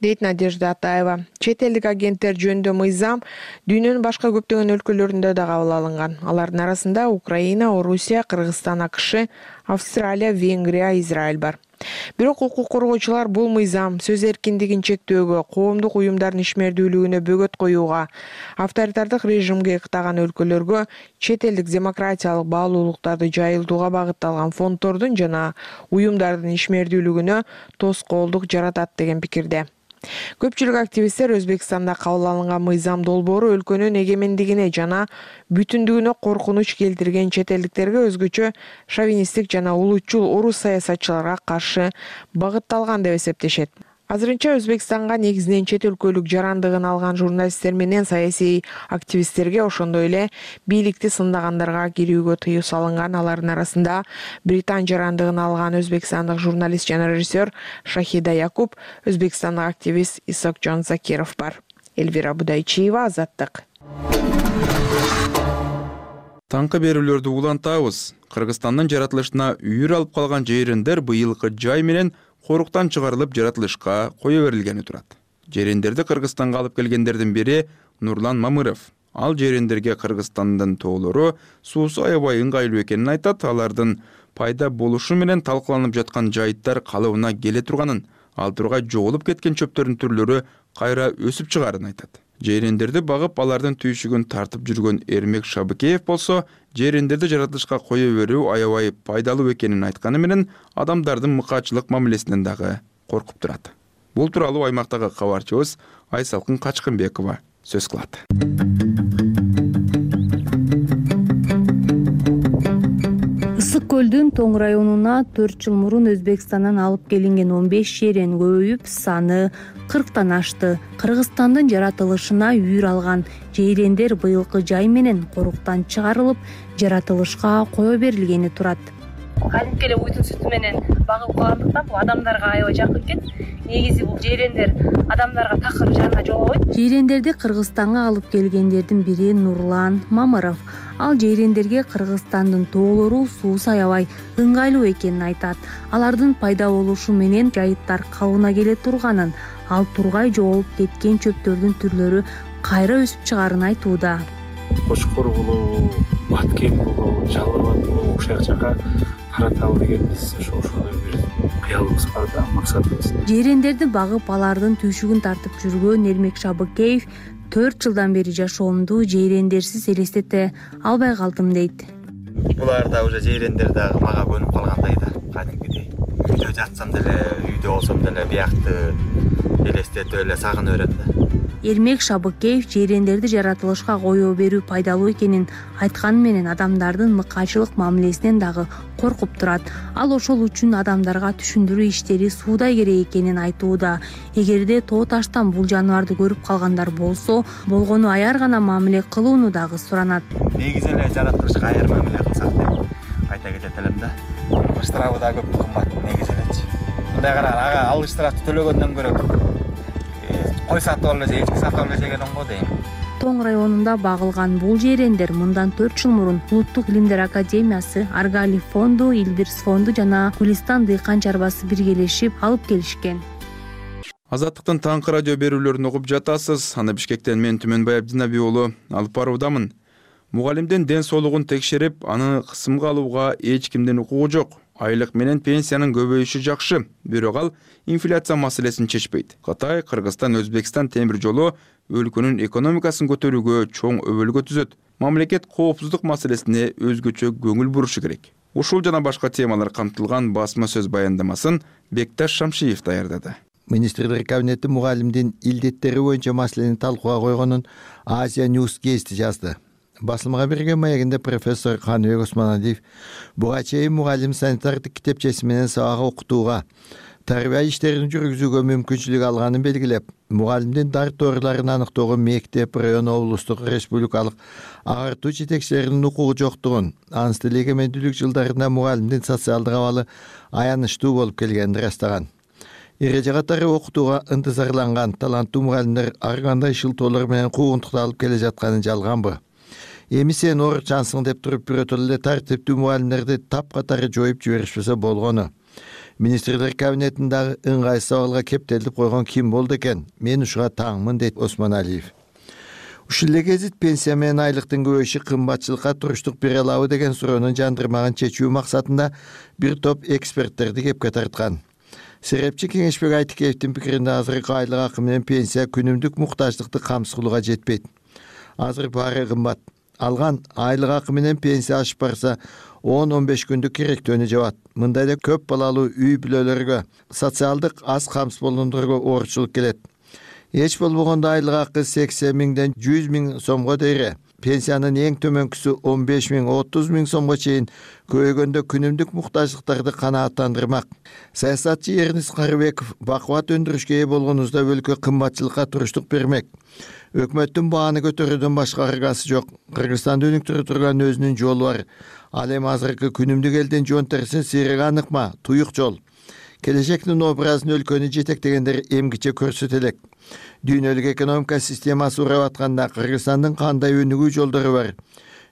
Дейт Надежда Атаева. Чет элдик агенттер жөнүндө мыйзам дүйнөнүн башка көптөгөн өлкөлөрүндө да кабыл алынган. Алардын арасында Украина, Орусия, Кыргызстан, АКШ, Австралия, Венгрия, Израиль бар. Бирок укук коргоочулар бул мыйзам сөз эркиндигин чектөөгө, коомдук уюмдардын ишмердүүлүгүнө бөгөт коюуга, авторитардык режимге ыктаган өлкөлөргө чет элдик демократиялык баалуулуктарды жайылтууга багытталган фонддордун жана уюмдардын ишмердүүлүгүнө тоскоолдук жаратат деген пикирде. Көпчүлүк активисттер Өзбекстанда кабыл алынган мыйзам долбоору өлкөнүн эгемендигине жана бүтүндүгүнө коркунуч келтирген чет элдиктерге өзгөчө шовинисттик жана улутчул орус саясатчыларга каршы багытталган деп эсептешет. Азырынча Өзбекстанга негизинен чет өлкөлүк жарандыгын алган журналисттер менен саясий активисттерге, ошондой эле бийликти сындагандарга кирүүгө тыюу салынган. Алардын арасында Британ жарандыгын алган өзбекстандык журналист жана режиссер Шахида Якуб, өзбекстандык активист Исокжон Закиров бар. Элвира Будайчиева, Азаттык.
Таңкы берүүлөрдү улантабыз. Кыргызстандын жаратылышына үйүр алып калган жайрендер быйылкы жай менен коруктан чыгарылып жаратылышка кое берилгени турат. Жайрендерди Кыргызстанга алып келгендердин бири Нурлан Мамыров. Ал жайрендерге Кыргызстандын тоолору суусу аябай ыңгайлуу экенин айтат. Алардын пайда болушу менен талкаланып жаткан жайыттар калыбына келе турганын, ал тургай жоголуп кеткен чөптөрдүн түрлөрү кайра өсүп чыгаарын айтат. Жайрендерди багып, алардын түйшүгүн тартып жүргөн Эрмек Шабыкеев болсо, жайрендерди жаратылышка кое берүү аябай пайдалуу экенин айтканы менен адамдардын мыкаачылык мамилесинен дагы коркуп турат. Бул тууралуу аймактагы кабарчыбыз Айсалкын Качкынбекова сөз кылат.
Ысык көлдүн Тоң районуна 4 жыл мурун Өзбекстандан алып келинген 15 жайрен көбөйүп, саны 40тан ашты. Кыргызстандын жаратылышына үйүр алган жайрендер быйылкы жай менен коруктан чыгарылып, жаратылышка кое берилгени турат.
Кадимки эле уйдун сүтү менен багып калгандыктан бул адамдарга аябай жакын экен. Негизи бул жайрендер адамдарга такыр жана жолобойт.
Жайрендерди Кыргызстанга алып келгендердин бири Нурлан Мамыров. Ал жайрендерге Кыргызстандын тоолору суусу аябай ыңгайлуу экенин айтат. Алардын пайда болушу менен жайыттар калыбына келе турганын, ал тургай жоголуп кеткен чөптөрдүн түрлөрү кайра өсүп чыгаарын айтууда.
Кочкор болобу, баткен болобу, жалбырбат болобу ушул жака караталы деген биз ошондой бир кыялыбыз бар да, максатыбыз.
Жайрендерди багып, алардын түйшүгүн тартып жүргөн Эрмек Шабыкеев 4 жылдан бери жашоомду жайрендерсиз элестете албай калдым дейт.
Буларда уже жайрендер дагы мага көнүп калгандай да, кадимкидей. Үйдө жатсам деле, үйдө болсом деле биякты элестетип эле сагынып берем да.
Эрмек Шабыкеев жайрендерди жаратылышка кое берүү пайдалуу экенин айтканы менен адамдардын мыкаачылык мамилесинен дагы коркуп турат. Ал ошол үчүн адамдарга түшүндүрүү иштери суудай керек экенин айтууда. Эгерде тоо таштан бул жаныбарды көрүп калгандар болсо, болгону аяр гана мамиле кылууну дагы суранат.
Негизи эле жаратылышка аяр мамиле кылсак деп айта кетет элем да. Штрафы да көп кымбат негизи элечи. Мындай кара, ага ал штрафты төлөгөндөн көрө кой сатып алып эле, эчки сатып алып эле жеген оңго дейм.
Тоң районунда багылган бул жайрендер мындан 4 жыл мурун Улуттук илимдер академиясы, Аргали фонду, Илдирс фонду жана Гулистан дыйкан чарбасы биргелешип алып келишкен.
Азаттыктын таңкы радио берүүлөрүн угуп жатасыз. Аны Бишкектен мен Түмөнбай Абдинаби уулу алып баруудамын. Мугалимдин ден соолугун текшерип, аны кысымга алууга эч кимдин укугу жок. Айлык менен пенсиянын көбөйүшү жакшы, бирок ал инфляция маселесин чечпейт. Кытай, Кыргызстан, Өзбекстан темир жолу өлкөнүн экономикасын көтөрүүгө чоң өбөлгө түзөт. Мамлекет коопсуздук маселесине өзгөчө көңүл бурушу керек. Ушул жана башка темалар камтылган басма сөз баяндамасын Бекташ Шамшиев даярдады.
Министрлер кабинети мугалимдин илдеттери боюнча маселени талкууга койгонун Азия News гезити жазды. Басылмага берген маегинде профессор Каныбек Осмоналиев буга чейин мугалим санитардык китепчеси менен сабак окутууга, тарбия иштерин жүргүзүүгө мүмкүнчүлүк алганын белгилеп, мугалимдин дарторларын аныктоого мектеп, район, облустук, республикалык агартуу жетекчилеринин укугу жоктугун, анын тил эгемендүүлүк жылдарында мугалимдин социалдык абалы аянычтуу болуп келгенин ырастаган. Эреже катары окутууга ынтызарланган таланттуу мугалимдер ар кандай шылтоолор менен куугунтукталып келе жатканы жалганбы? Эми сен орчансың деп туруп бирөөтөлө эле тартиптүү мугалимдерди тапкатары жоюп жиберишпесе болгону. Министрлер кабинетиндагы ыңгайсыз абалга кептелип койгон ким болду экен? Мен ушуга таңмын, дейт Осмоналиев. Ушул эле гезит пенсия менен айлыктын көбөйүшү кымбатчылыкка туруштук бере алабы деген суроонун жандырмагын чечүү максатында бир топ эксперттерди кепке тарткан. Серепчи Кеңешбек Айтикеевдин пикиринде азыркы айлык акы менен пенсия күнүмдүк муктаждыкты камсыз кылууга жетпейт. Азыр баары кымбат. Алган айлык акы менен пенсия ашып барса 10-15 күндүк керектөөнү жабат. Мындай эле көп балалуу үй бүлөлөргө, социалдык аз камсыз болгондорго оорчулук келет. Эч болбогондо айлык акы 80 миңден 100 миң сомго дейре. Пенсиянын эң төмөнкүсү 15 миң 30 миң сомго чейин көбөйгөндө күнүмдүк муктаждыктарды канааттандырмак. Саясатчы Эрнис Карыбеков бакубат өндүрүшкө ээ болгонубузда өлкө кымбатчылыкка туруштук бермек. Өкмөттүн бааны көтөрүүдөн башка аргасы жок. Кыргызстанды өнүктүрө турган өзүнүн жолу бар. Ал эми азыркы күнүмдүк элдин жон терисин сыйрыга аныкма, туюк жол. Келечектин образын өлкөнү жетектегендер эмгиче көрсөтө элек. Дүйнөлүк экономика системасы урап атканда Кыргызстандын кандай өнүгүү жолдору бар?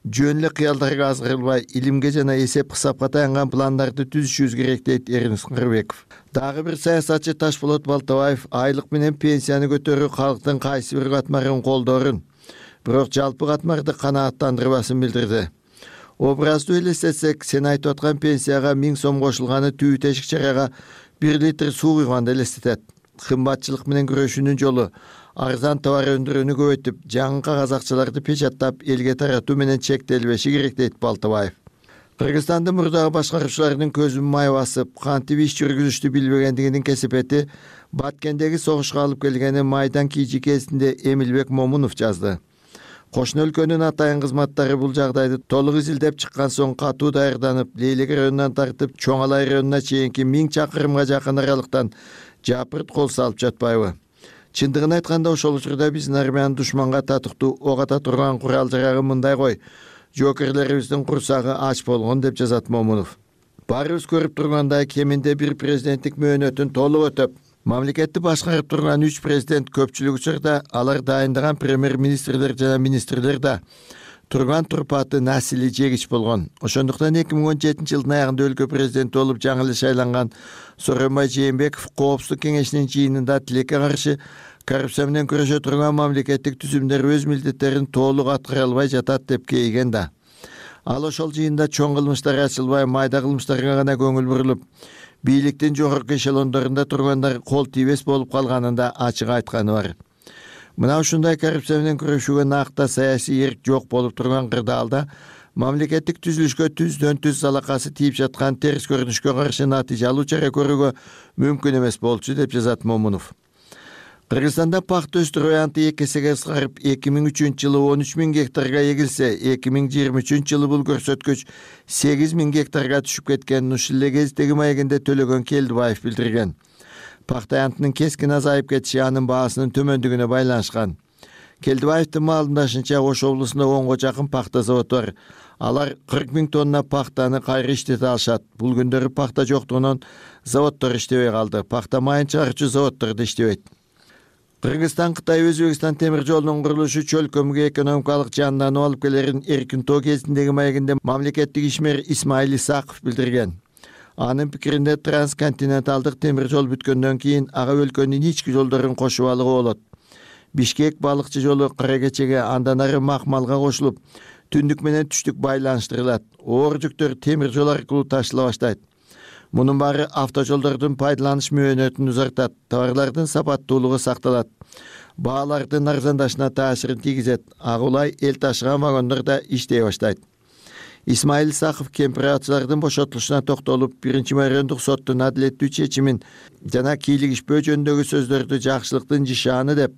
Жөн эле кыялдарга азгырылбай, илимге жана эсеп кысапка таянган пландарды түзүшүбүз керек, дейт Эрнис Карыбеков. Дагы бир саясатчы Ташболот Балтабаев айлык менен пенсияны көтөрүү калктын кайсы бир катмарын колдоорун, бирок жалпы катмарды канааттандырбасын билдирди. Образды элестетсек, сен айтып аткан пенсияга 1000 сом кошулганы түбү тешик чарага 1 литр суу куйганды элестетет. Кымбатчылык менен күрөшүүнүн жолу арзан товар өндүрүүнү көбөйтүп, жаңы кагаз акчаларды печаттап, элге таратуу менен чектелбеши керек, дейт Балтабаев. Кыргызстандын мурдагы башкаруучуларынын көзүн май басып, кантип иш жүргүзүштү билбегендигинин кесепети Баткендеги согушка алып келгени майдан кийжи кезинде Эмилбек Момунов жазды. Кошуна өлкөнүн атайын кызматтары бул жагдайды толук изилдеп чыккан соң катуу даярданып, Лейлек районунан тартып Чоң Алай районуна чейинки 1000 чакырымга жакын аралыктан жапырт кол салып жатпайбы? Чындыгын айтканда ошол учурда биздин армиянын душманга татыктуу ок ата турган курал жарагы мындай кой, жокерлерибиздин курсагы ач болгон, деп жазат Момунов. Баарыбыз көрүп тургандай, кеминде бир президенттик мөөнөтүн толук өтөп, мамлекетти башкарып турган 3 президент көпчүлүк учурда алар дайындаган премьер-министрлер жана министрлер да турган турпаты насили жегич болгон. Ошондуктан 2017 жылдын аягында өлкө президенти болуп жаңы эле шайланган Сооронбай Жээнбеков Коопсуздук кеңешинин жыйынында тилекке каршы коррупция менен күрөшө турган мамлекеттик түзүмдөр өз милдеттерин толук аткара албай жатат деп кейиген да. Ал ошол жыйында чоң кылмыштар ачылбай, майда кылмыштарга гана көңүл бурулуп, бийликтин жогорку эшелондорунда тургандар кол тийбес болуп калганында ачык айтканы бар. Мына ушундай коррупция менен күрөшүүгө накта саясий эрк жок болуп турган кырдаалда мамлекеттик түзүлүшкө түздөн-түз залакасы тийип жаткан терс көрүнүшкө каршы натыйжалуу чара көрүүгө мүмкүн эмес болчу, деп жазат Момунов. Кыргызстанда пахта өстүрүү аянты 2 эсеге кыскарып, 2003 жылы 13 миң гектарга эгилсе, 2023 жылы бул көрсөткүч 8 миң гектарга түшүп кеткенин ушул эле кездеги маегинде Төлөгөн Келдибаев билдирген. Пахта аянтынын кескин азайып кетиши анын баасынын төмөндүгүнө байланышкан. Келдибаевдин маалымдашынча, Ош облусунда 10го жакын пахта заводу бар. Алар 40 миң тонна пахтаны кайра иштете алышат. Бул күндөрү пахта жоктугунан заводдор иштебей калды. Пахта майын чыгаруучу заводдор да иштебейт. Кыргызстан Кытай Өзбекстан темир жолунун курулушу чөлкөмгө экономикалык жандануу алып келерин эркин тоо кезиндеги маегинде мамлекеттик ишмер Исмаил Исаков билдирген. Анын пикиринде трансконтиненталдык темир жол бүткөндөн кийин ага өлкөнүн ички жолдорун кошуп алууга болот. Бишкек балыкчы жолу Кара Кечеге, андан ары Макмалга кошулуп, түндүк менен түштүк байланыштырылат. Оор жүктөр темир жол аркылуу ташыла баштайт. Мунун баары автожолдордун пайдаланыш мөөнөтүн узартат, товарлардын сапаттуулугу сакталат, баалардын арзандашына таасирин тийгизет. Агулай эл ташыган вагондор да иштей баштайт. Исмаил Исаков кемпирачылардын бошотулушуна токтолуп, 1-майрандык соттун адилеттүү чечимин жана кийлигишпөө жөнүндөгү сөздөрдү жакшылыктын жишааны деп,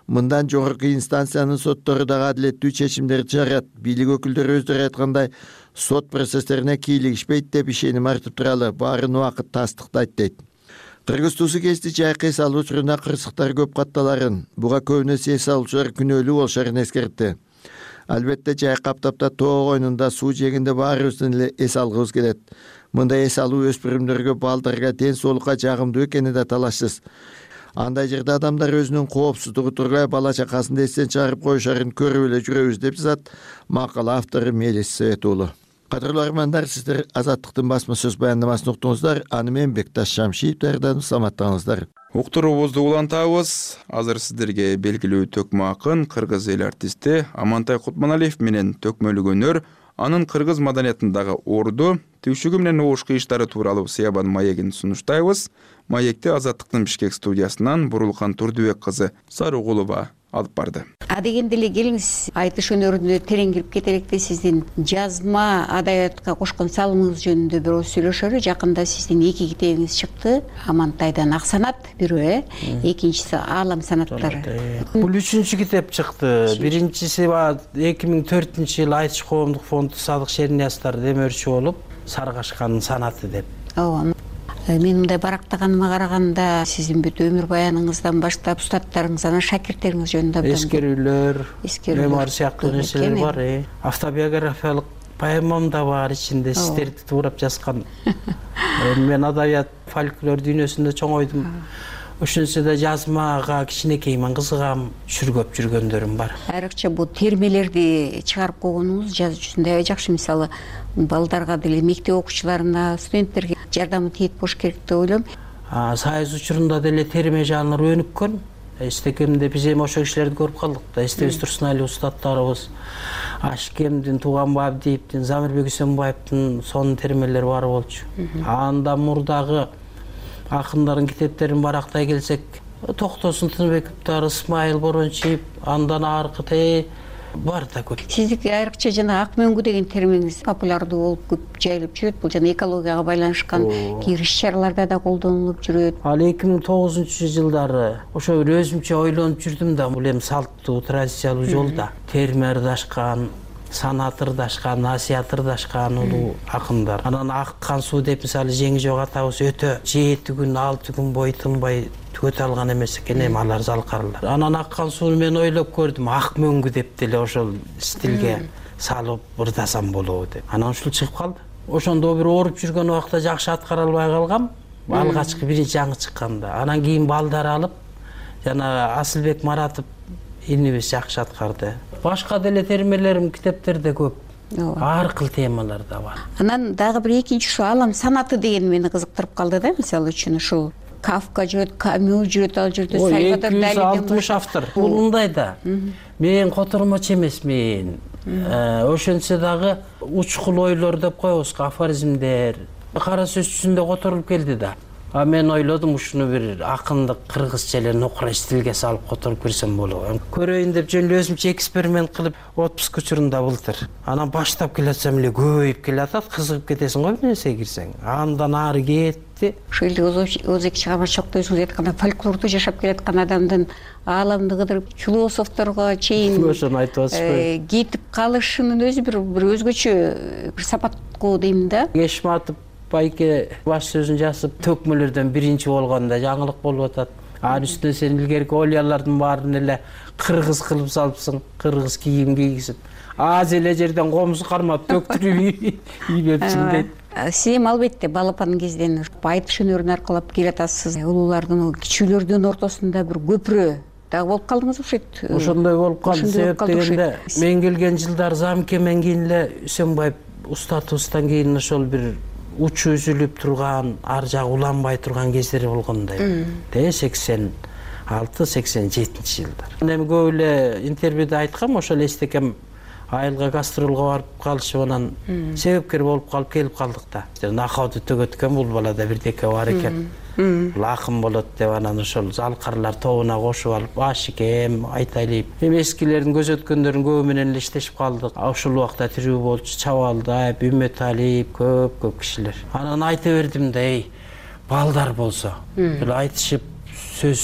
мындан жогорку инстанциянын соттору дагы адилеттүү чечимдерди чыгарат. Бийлик өкүлдөрү өздөрү айткандай, сот процесстерине кийлигишпейт деп ишеним артып туралы, баарын убакыт тастыктайт, дейт. Кыргыз туусу кести жайкы эс алуу учурунда кырсыктар көп катталарын, буга көбүнөсү эс алуучулар күнөөлүү болушарын эскертти. Албетте жай каптапта тоо койнунда суу жегинде баарыбыздын эле эс алгыбыз келет. Мындай эс алуу өспүрүмдөргө, балдарга, ден соолукка жагымдуу экени да талашсыз. Андай жерде адамдар өзүнүн коопсуздугу тургай бала чакасын да эстен чыгарып коюшарын көрүп эле жүрөбүз, деп жазат макала автору Мелис Совет уулу. Кадырлуу армандар, сиздер Азаттыктын басма сөз баяндамасын уктуңуздар. Аны мен Бекташ Шамшиев даярдадым. Саламаттыгыңыздар.
Уктуруубузду улантабыз. Азыр сиздерге белгилүү төкмө акын, кыргыз эл артисти Амантай Кутманалиев менен төкмөлүк өнөр, анын кыргыз маданиятындагы орду, түйшүгү менен угуш кыйыштары тууралуу Сыябан маегин сунуштайбыз. Маекти Азаттыктын Бишкек студиясынан Бурулкан Турдубек кызы Сарыгулова алып барды.
Дегенде эле келиңиз, айтыш өнөрүнө терең кирип кетелик да, сиздин жазма адабиятка кошкон салымыңыз жөнүндө бирөөз сүйлөшөлү. Жакында сиздин 2 китебиңиз чыкты. Амантайдан Ак санат бирөө, экинчиси Аалам санаттары.
Бул 3-чү китеп чыкты. Биринчиси 2004-жылы Айтыш коомдук фонду Садык Шерниязовдор демөөрчү болуп, Саргашкандын санаты деп.
Ооба. Мен мындай барактаганыма караганда сиздин бүт өмүр баяныңыздан баштап устаттарыңыз, анан шакирттериңиз жөнүндө
эскерүүлөр, мемуар сыяктуу нерселер бар. Автобиографиялык поэмам да бар ичинде, сиздерди туурап жазган. Мен адабият, фольклор дүйнөсүндө чоңойдум. Ошонсо да жазмага кичинекеймин кызыгам, чүргөп жүргөндөрүм бар.
Айрыкча бул термелерди чыгарып койгонуңуз жазуучусунда аябай жакшы. Мисалы, балдарга деле, мектеп окуучуларына, студенттерге жардамы тийет болуш керек деп ойлойм.
Сайыз учурунда деле терме жанры өнүккөн. Эстекемде биз эми ошол кишилерди көрүп калдык да. Эстебиз Турсуналиев устаттарыбыз, Ашкемдин, Туганбай Абдиевдин, Замирбек Үсөнбаевдин сонун термелери бар болчу. Анда мурдагы акындардын китептерин барактай келсек, Токтосун Тыныбековдор, Исмайыл Борончиев, андан аркы бар да көп.
Сиздики айрыкча жана ак мөңгү деген терминиңиз популярдуу болуп көп жайылып жүрөт. Бул жана экологияга байланышкан кээ иш-чараларда да колдонулуп жүрөт.
Ал 2009-жылдары ошо бир өзүмчө ойлонуп жүрдүм да, бул эми салттуу, традициялуу жолда терме ырдашкан, санат ырдашкан, насият ырдашкан улуу акындар. Анан Аккан суу деп мисалы Жеңжок атабыз өтө 7 күн, 6 күн бою тынбай түгөтө алган эмес экен, эми алар залкарлар. Анан Аккан сууну мен ойлоп көрдүм, ак мөңгү деп деле ошол стилге салып ырдасам болобу деп. Анан ушул чыгып калды. Ошондо бир ооруп жүргөн убакта жакшы аткара албай калгам. Алгачкы биринчи жаңы чыкканда. Анан кийин балдар алып, жана Асылбек Маратов инибиз жакшы аткарды. Башка деле термелерим китептерде көп. Ар кыл темалар да бар.
Анан дагы бир экинчи ушу Аалам санаты деген мени кызыктырып калды да. Мисалы үчүн ушул Кафка жүрөт, Камю жүрөт, ал жерде Сальвадор Далиден
260 автор. Бул мындай да. Мен котормочу эмесмин. Ошончо дагы учкул ойлор деп коебуз, афоризмдер. Кара сөз жүзүндө которулуп келди да. Мен ойлодум ушуну бир акындык кыргызча эле нокура стилге салып которуп берсем болот. Көрөйүн деп жөн эле өзүмчө эксперимент кылып отпуск учурунда былтыр. Анан баштап келатсам эле көбөйүп келатат, кызыгып кетесиң го бир нерсеге кирсең. Андан ары кетти.
Ошол эле өзүк чыгармачылыкта айтканда фольклордо жашап келаткан адамдын ааламды кыдырып философторго чейин
ошону айтып атышпайбы?
Кетип калышынын өзү бир өзгөчө бир сапат го дейм да.
Кешматов байке баш сөзүн жазып, төкмөлөрдөн биринчи болгондо жаңылык болуп атат. Анын үстүнө сен илгерки ойлорлордун баарын эле кыргыз кылып салыпсың, кыргыз кийим кийгизип. Аз эле жерден комуз кармап төктүрүп ийбепсиң дейт.
Сиз эми албетте балапан кезден айтыш өнөрүн аркылап келатасыз. Улуулардын, кичүүлөрдүн ортосунда бир көпүрө дагы болуп калдыңыз окшойт.
Ошондой болуп калды. Себеп дегенде мен келген жылдар Замкемен кийин эле Үсөнбаев устатыбыздан кийин ошол бир учу үзүлүп турган, ар жагы уланбай турган кездери болгондой. 86-87 жылдар. Эми көп эле интервьюда айткам, ошол эстекем айылга гастролго барып калышып, анан себепкер болуп калып келип калдык да. Накауды төгөткөн бул балада бирдеке бар экен. Бул акын болот деп анан ошол залкарлар тобуна кошуп алып, Ашикем, Айтайлиев. Эми эскилердин көз өткөндөрүн көбү менен эле иштешип калдык. Ошол убакта тирүү болчу Чабалдаев, Үмөталиев, көп кишилер. Анан айта бердим да, балдар болсо, бир айтышып, сөз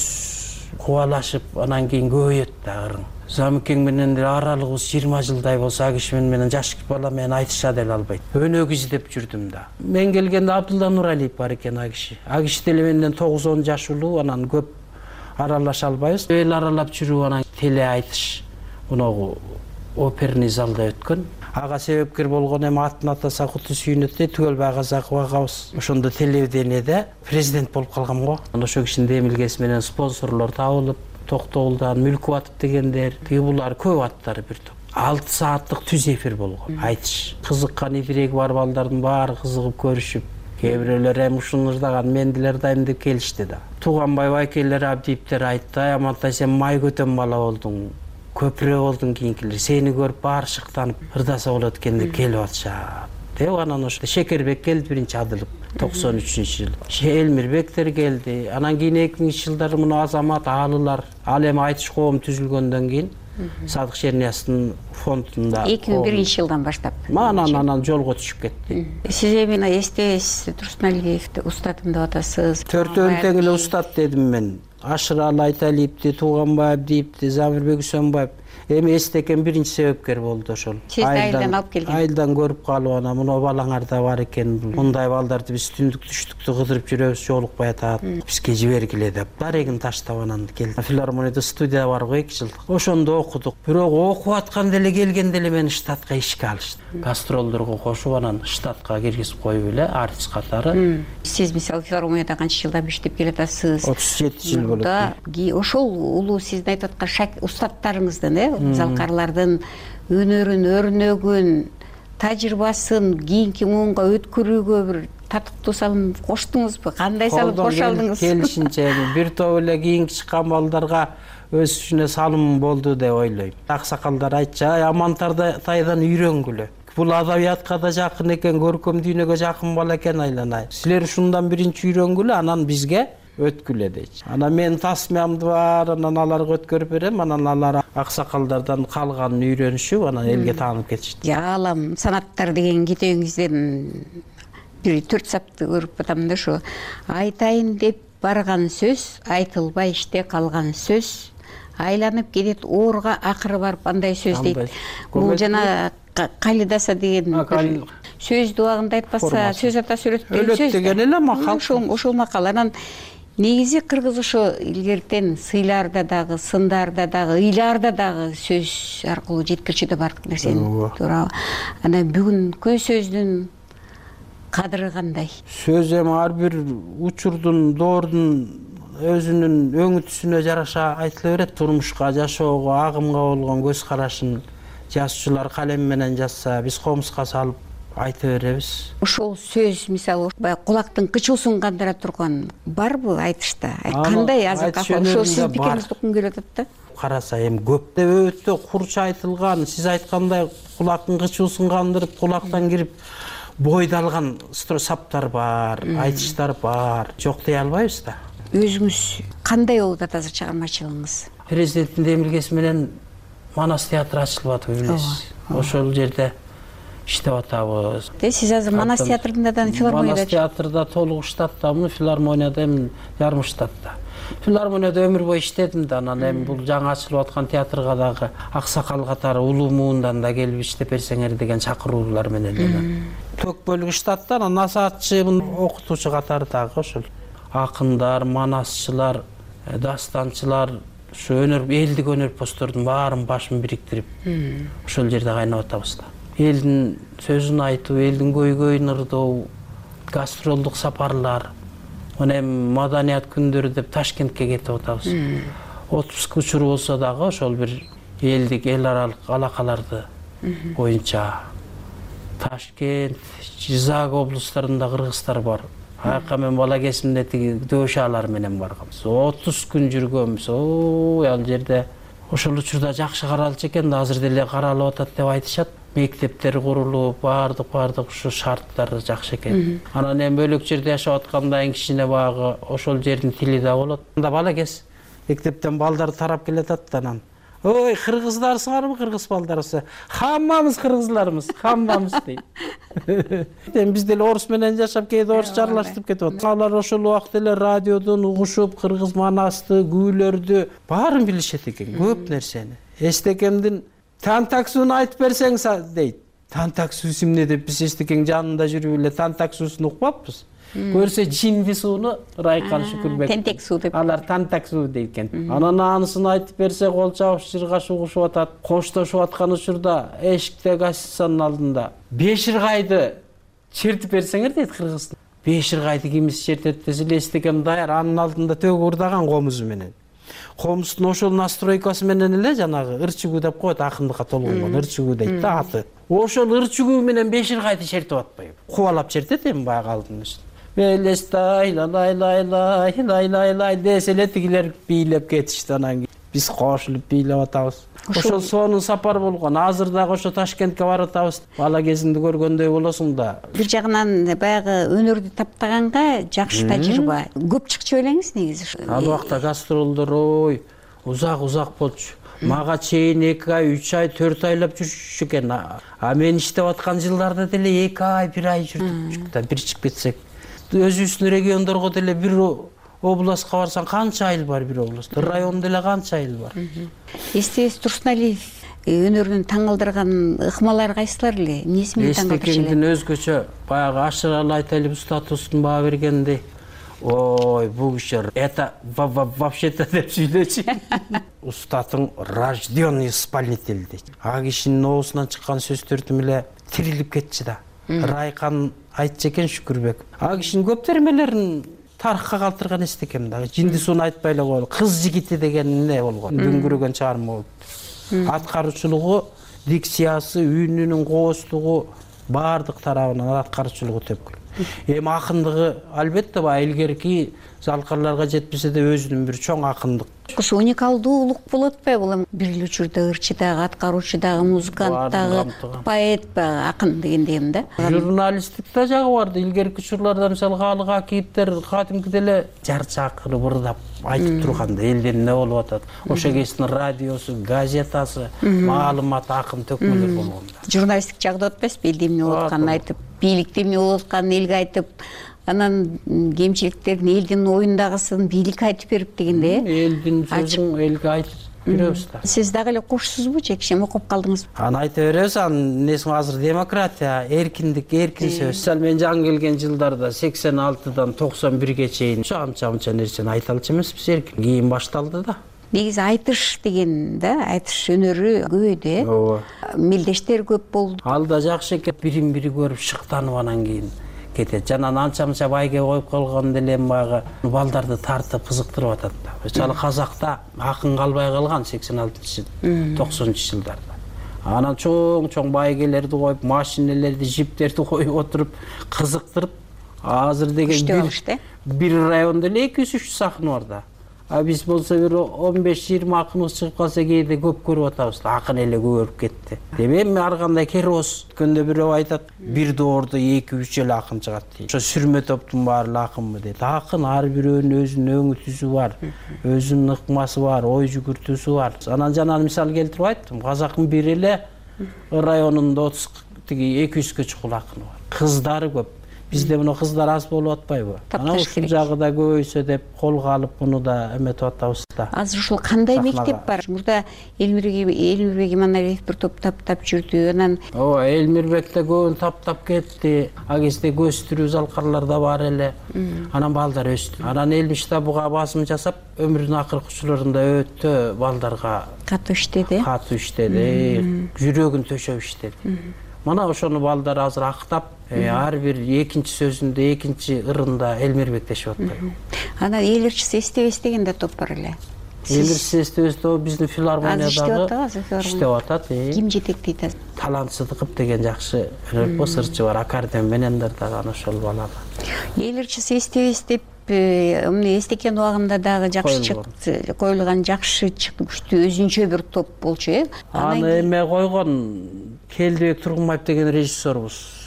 кубалашып, анан кийин көбөйөт да ырың. Замикең менен аралыгыбыз 20 жылдай болсо, а киши менен жаш бала менен айтыша деле албайт. Өнөк издеп жүрдүм да. Мен келгенде Абдулла Нуралиев бар экен а киши. А киши деле менден 9-10 жаш улуу, анан көп аралаша албайбыз. Эл аралап жүрүп анан теле айтыш, мунагу оперный залда өткөн. Ага себепкер болгон эми атын атаса куту сүйүнөт дейт, Түгөлбай Казаков агабыз. Ошондо телевидениеде президент болуп калгам го. Ошо кишинин демилгеси менен спонсорлор табылып, Токтоолдан Мүлкүбатов дегендер, булар көп аттары бир топ. 6 сааттык түз эфир болгон. Айтыш. Кызыккан идиреги бар балдардын баары кызыгып көрүшүп, кээ бирөөлөр эми ушуну ырдаган мен деле ырдайм деп келишти да. Туганбай байкелер, Абдиевдер айтты, Амантай сен май көтөн бала болдуң, көпүрө болдуң кийинкилер. Сени көрүп баары шыктанып ырдаса болот экен деп келип атышат. деп анан ошо Шекербек келди биринчи адылып 93-жылы. Элмирбектер келди. Анан кийин 2000-жылдары мына Азамат Аалылар, ал эми айтыш коом түзүлгөндөн кийин Садык Шерниястын фондунда
2001-жылдан баштап.
Анан жолго түшүп кетти.
Сиз эми эстебейсиз, Турсуналиевди устатым деп атасыз.
Төртөөнү тең эле устат дедим мен. Ашыралы Айталиевди, Тууганбаев дейипти, Замирбек Үсөнбаев. Эми эстекен биринчи себепкер болду ошол.
Сиз айылдан алып келген.
Айылдан көрүп калып анан мына балаңарда бар экен. Мындай балдарды биз түндүк түштүктү кыдырып жүрөбүз, жолукпай атат. Бизге жибергиле деп. Дарегин таштап анан келди. Филармонияда студия бар го 2 жылдык. Ошондо окудук. Бирок окуп атканда эле келгенде эле мени штатка ишке алышты. Гастролдорго кошуп анан штатка киргизип коюп эле артист катары.
Сиз мисалы филармонияда канча жылдан бери иштеп келатасыз?
37 жыл болот.
Ошол улуу сиздин айтып аткан устаттарыңыздын, залкарлардын өнөрүн, өрнөгүн, тажрыйбасын кийинки муунга өткөрүүгө бир татыктуу салым коштуңузбу? Кандай салым кошо алдыңыз?
Келишинче бир топ эле кийинки чыккан балдарга өз үчүнө салым болду деп ойлойм. Аксакалдар айтчу, Амантайдан үйрөнгүлө. Бул адабиятка да жакын экен, көркөм дүйнөгө жакын бала экен айланай. Силер ушундан биринчи үйрөнгүлө, анан бизге өткүлө дейчи. Анан мен тасмиямды бар, анан аларга өткөрүп берем, анан алар аксакалдардан калганын үйрөнүшүп, анан элге таанып кетишти.
Аалам санаттар деген китебиңизден бир 4 сапты көрүп атам да ошо. Айтайын деп барган сөз, айтылбай иште калган сөз, айланып кетет оорга акыры барып андай сөз дейт. Бул жана калидаса деген сөз дубагында айтпаса, сөз ата сүрөт
деген эле макал.
Ошол макал. Анан негизи кыргыз ошо илгертен сыйларда дагы, сындарда дагы, ыйларда дагы сөз аркылуу жеткирчү да бардык нерсени. Туура. Анан бүгүнкү сөздүн кадыры кандай?
Сөз эми ар бир учурдун, доордун өзүнүн өңүтүсүнө жараша айтыла берет. Турмушка, жашоого, агымга болгон көз карашын жазуучулар калем менен жазса, биз комузга салып айта беребиз.
Ошол сөз мисалы кулактын кычуусун кандыра турган барбы айтышта? Кандай азыр ошол сиз пикириңизди уккум келип атат да?
Караса эми көп деп өтө курч айтылган, сиз айткандай кулактын кычуусун кандырып, кулактан кирип бойдалган саптар бар, айтыштар бар. Жок дей албайбыз да.
Өзүңүз кандай болуп атат азыр чыгармачылыгыңыз?
Президенттин демилгеси менен Манас театры ачылып атып билесиз. Ошол жерде иштеп атабыз.
Сиз азыр Манас театрында да, филармонияда?
Манас театрда толук штаттамын, филармонияда эми жарым штатта. Филармонияда өмүр бою иштедим да, анан эми бул жаңы ачылып аткан театрга дагы аксакал катары улуу муундан да келип иштеп берсеңер деген чакыруулар менен эле. Тök бөлүгү штатта, анан насаатчы, окутуучу катары дагы ошол. Акындар, манасчылар, дастанчылар, ушу өнөр, элдик өнөрпоздордун баарын башын бириктирип, ошол жерде кайнап атабыз да. Элдин сөзүн айтуу, элдин көйгөйүн ырдоо, гастролдук сапарлар, мына эми маданият күндөрү деп Ташкентке кетип атабыз. Отпуск учуру болсо дагы ошол бир элдик, эл аралык алакаларды боюнча Ташкент, Жизак облустарында кыргыздар бар. Аяка мен бала кезимде тиги дөшалар менен барганбыз. 30 күн жүргөнбүз. Ал жерде ошол учурда жакшы каралчу экен да, азыр деле каралып атат деп айтышат. Мектептер курулуп, бардык ушу шарттары жакшы экен. Анан эми бөлөк жерде жашап атканда кичине багы ошол жердин тили да болот. Анда бала кез мектептен балдар тарап келатат да, анан ой, кыргыздарсыңарбы, кыргыз балдарсы? Хаммамыз кыргызлармыз, хаммамыз дейт. Эми биз деле орус менен жашап, кээде орусча аралаштырып кетип атат. Алар ошол убакта эле радиодон угушуп, кыргыз манасты, күүлөрдү баарын билишет экен, көп нерсени. Эстекемдин тантаксуун айтып берсең дейт. Тантаксуус эмне деп биз Эстекең жанында жүрүп эле тантаксуусын укпаппыз. Көрсө жинди сууну Райкан Шүкүрбек.
Тентек суу деп.
Алар тантак суу дейт экен. Анан анысын айтып берсе кол чабыш, жыргаш угушуп атат. Коштошуп аткан учурда эшикте гостиницанын алдында беширгайды чертип берсеңер дейт кыргызда. Беширгайды кимис чертет десе Эстекем даяр, анын алдында төгү урдаган комузу менен. Комуздун ошол настройкасы менен эле жанагы ырчыгуу деп коет, акындыкка толгонгон ырчыгуу дейт да аты. Ошол ырчыгуу менен беширгайды чертип атпайбы? Кубалап чертет эми баягы алдын үстүн. Белестай лай лай лай лай лай лай десе эле тигилер бийлеп кетишти, анан биз кошулуп бийлеп атабыз. ошол сонун сапар болгон. Азыр дагы ошо Ташкентке барып атабыз. Бала кезиңди көргөндөй болосуң да.
Бир жагынан баягы өнөрдү таптаганга жакшы тажрыйба. Көп чыкчу белеңиз негизи.
Ал убакта гастролдор узак болчу. Мага чейин 2 ай, 3 ай, 4 айлап жүрчү экен. А мен иштеп аткан жылдарда деле 2 ай, 1 ай жүрдүк да. Бир чыгып кетсек, өзүбүздүн региондорго деле бир областка барсаң канча айыл бар, бир областта. Район деле канча айыл бар.
Эстебес Турсуналиев өнөрүнүн таң калтырган ыкмалары кайсылар эле? Эмнеси менен таң калтырчу эле?
Эстекеңдин өзгөчө баягы ашыралы айтайлы статустун баа бергенди. Ой, бул киши это вообще-то деп сүйлөчү. Устатың рожденный исполнитель дейт. А кишинин оозунан чыккан сөздөрдү эле тирилип кетчү да. Райкан айтчу экен Шүкүрбек. А кишинин көп термелерин тарыхка калтырган эстекем дагы. Жинди сууну айтпай эле коелу. Кыз жигити деген эмне болгон? Дүңгүрөгөн чыгарма болуп. Аткаруучулугу, дикциясы, үнүнүн кооздугу баардык тарабынан аткаруучулугу төпкүл. Эми акындыгы албетте баягы илгерки залкарларга жетпесе да өзүнүн бир чоң акындык.
Ушу уникалдуулук болуп атпайбы? Бул бир эле учурда ырчы дагы, аткаруучу дагы, музыкант дагы, поэт дагы, акын дегендейм да.
Журналисттик да жагы бар да. Илгерки учурларда мисалы Хаалык Акиевдер кадимки деле жар чакырып ырдап айтып турганда элден эмне болуп атат. Ошо кездин радиосу, газетасы, маалымат акын төкмөлөр болгон да.
Журналисттик жагда атпайсызбы? Элде эмне болуп атканын айтып, бийликте эмне болуп атканын элге айтып, анан кемчиликтерин элдин оюндагысын бийликке айтып берип дегенде.
Элдин сөзүн элге айтып беребиз да.
Сиз дагы эле кошсузбу же киши окуп калдыңызбы?
Аны айта беребиз. Анын несин азыр демократия, эркиндик, эркин сөз. Мисалы мен жаңы келген жылдарда 86-дан 91-ге чейин анча нерсени айта алчу эмеспиз, эркин. Кийин башталды да.
Негизи айтыш деген да, айтыш өнөрү көбөйдү, э?
Ооба.
Мелдештер көп болду.
Ал да жакшы экен, бирин-бири көрүп шыктанып анан кийин кетет. Жана анча-мынча байге коюп койгон деле баягы балдарды тартып кызыктырып атат да. Мисалы Казакта акын калбай калган 86-90 жылдарда. Анан чоң байгелерди коюп, машинелерди, жиптерди коюп отуруп, кызыктырып, азыр деген бир райондо эле 200-300 сахна бар да. А биз болсо бир 15-20 акыныбыз чыгып калса кээде көп көрүп атабыз. Акын эле көбөйүп кетти. Эми ар кандай керос өткөндө бирөө айтат, бир доордо 2-3 эле акын чыгат дейт. Ошо сүрмө топтун баары эле акынбы дейт. Акын ар бирөөнүн өзүнүн өңү түзү бар, өзүнүн ыкмасы бар, ой жүгүртүүсү бар. Анан жана мисал келтирип айттым, Казактын бир эле районунда 200-гэ чукул акыны бар. Кыздары көп. Бизде мына кыздар аз болуп атпайбы? Анан ушул жагы да көбөйсө деп колго алып муну да эметип атабыз да.
Азыр ушул кандай мектеп бар? Мурда Элмирбек Иманалиев бир топ таптап жүрдү. Анан
ооба, Элмирбек да көбүн таптап кетти. А кезде көстүрүү залкарлар да бар эле. Анан балдар өстү. Анан Элмишта буга басым жасап, өмүрүнүн акыркы учурларында өтө балдарга
катуу иштеди.
Жүрөгүн төшөп иштеди. Мана ошону балдар азыр актап, ар бир экинчи сөзүндө, экинчи ырында Элмирбек дешип атпайбы.
Анан эл ырчысы эстебес деген да топ бар эле.
Эл ырчысы эстебес топ биздин филармониядагы иштеп атат.
Ким жетектейт азыр?
Талант Сыдыков деген жакшы ырчы бар, аккордеон менен дагы ошол балага.
Эл ырчысы эстебес деп эстекен убагында дагы жакшы коюлган, жакшы күчтүү өзүнчө бир топ болчу, э?
Аны эме койгон Келдибек Тургунбаев деген режиссербуз.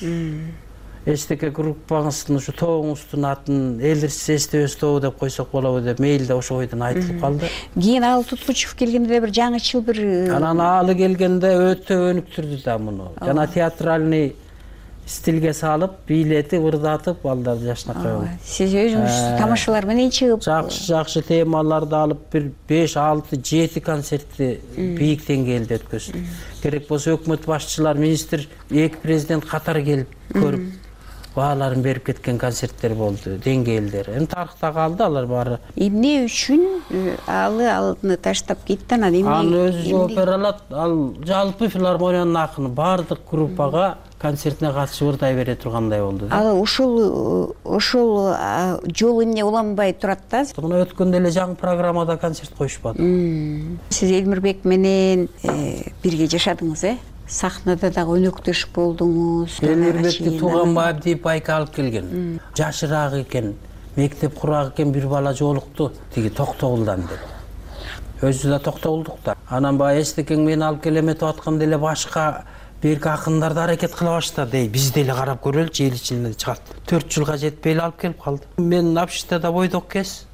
Эстеке группаңыздын ушу тобуңуздун атын эл ырчысы эстебес тобу деп койсок болобу деп мейлде ошо бойдон айтылып калды.
Кийин Ал Туткучев келгенде бир жаңычыл бир
анан алы келгенде өтө өнүктүрдү да муну. Жана театральный стилге салып, бийлетип, ырдатып, балдарды жашнакай болду.
Сиз өзүңүз тамашалар менен чыгып,
жакшы темаларды алып, бир 5, 6, 7 концертти бийик деңгээлде өткөздү. Керек болсо өкмөт башчылар, министр, эки президент катар келип көрүп, бааларын берип кеткен концерттер болду, деңгээлдер. Эми тарыхта калды алар баары.
Эмне үчүн алны таштап кетти анан эмне?
Аны өзү опералат, ал жалпы филармониянын акыны баардык группага концертине катышып ырдай бере тургандай болду.
Ал ошол жол эмне уланбай турат да?
Мына өткөндө эле жаңы программада концерт коюшпады.
Сиз Элмирбек менен бирге жашадыңыз, э? Сахнада дагы өнөктөш болдуңуз.
Элмирбекти Тууганбаев деп байка алып келген. Жашыраак экен, мектеп курак экен, бир бала жолукту, тиги Токтогулдан деп. өзү да токтобулдук да. Анан баягы эстекең мени алып келем этип атканда эле башка берки акындар да аракет кыла баштады. Биз деле карап көрөлүчү, эл ичинен чыгат. 4 жылга жетпей эле алып келип калды. Мен общежитиеда бойдок кез.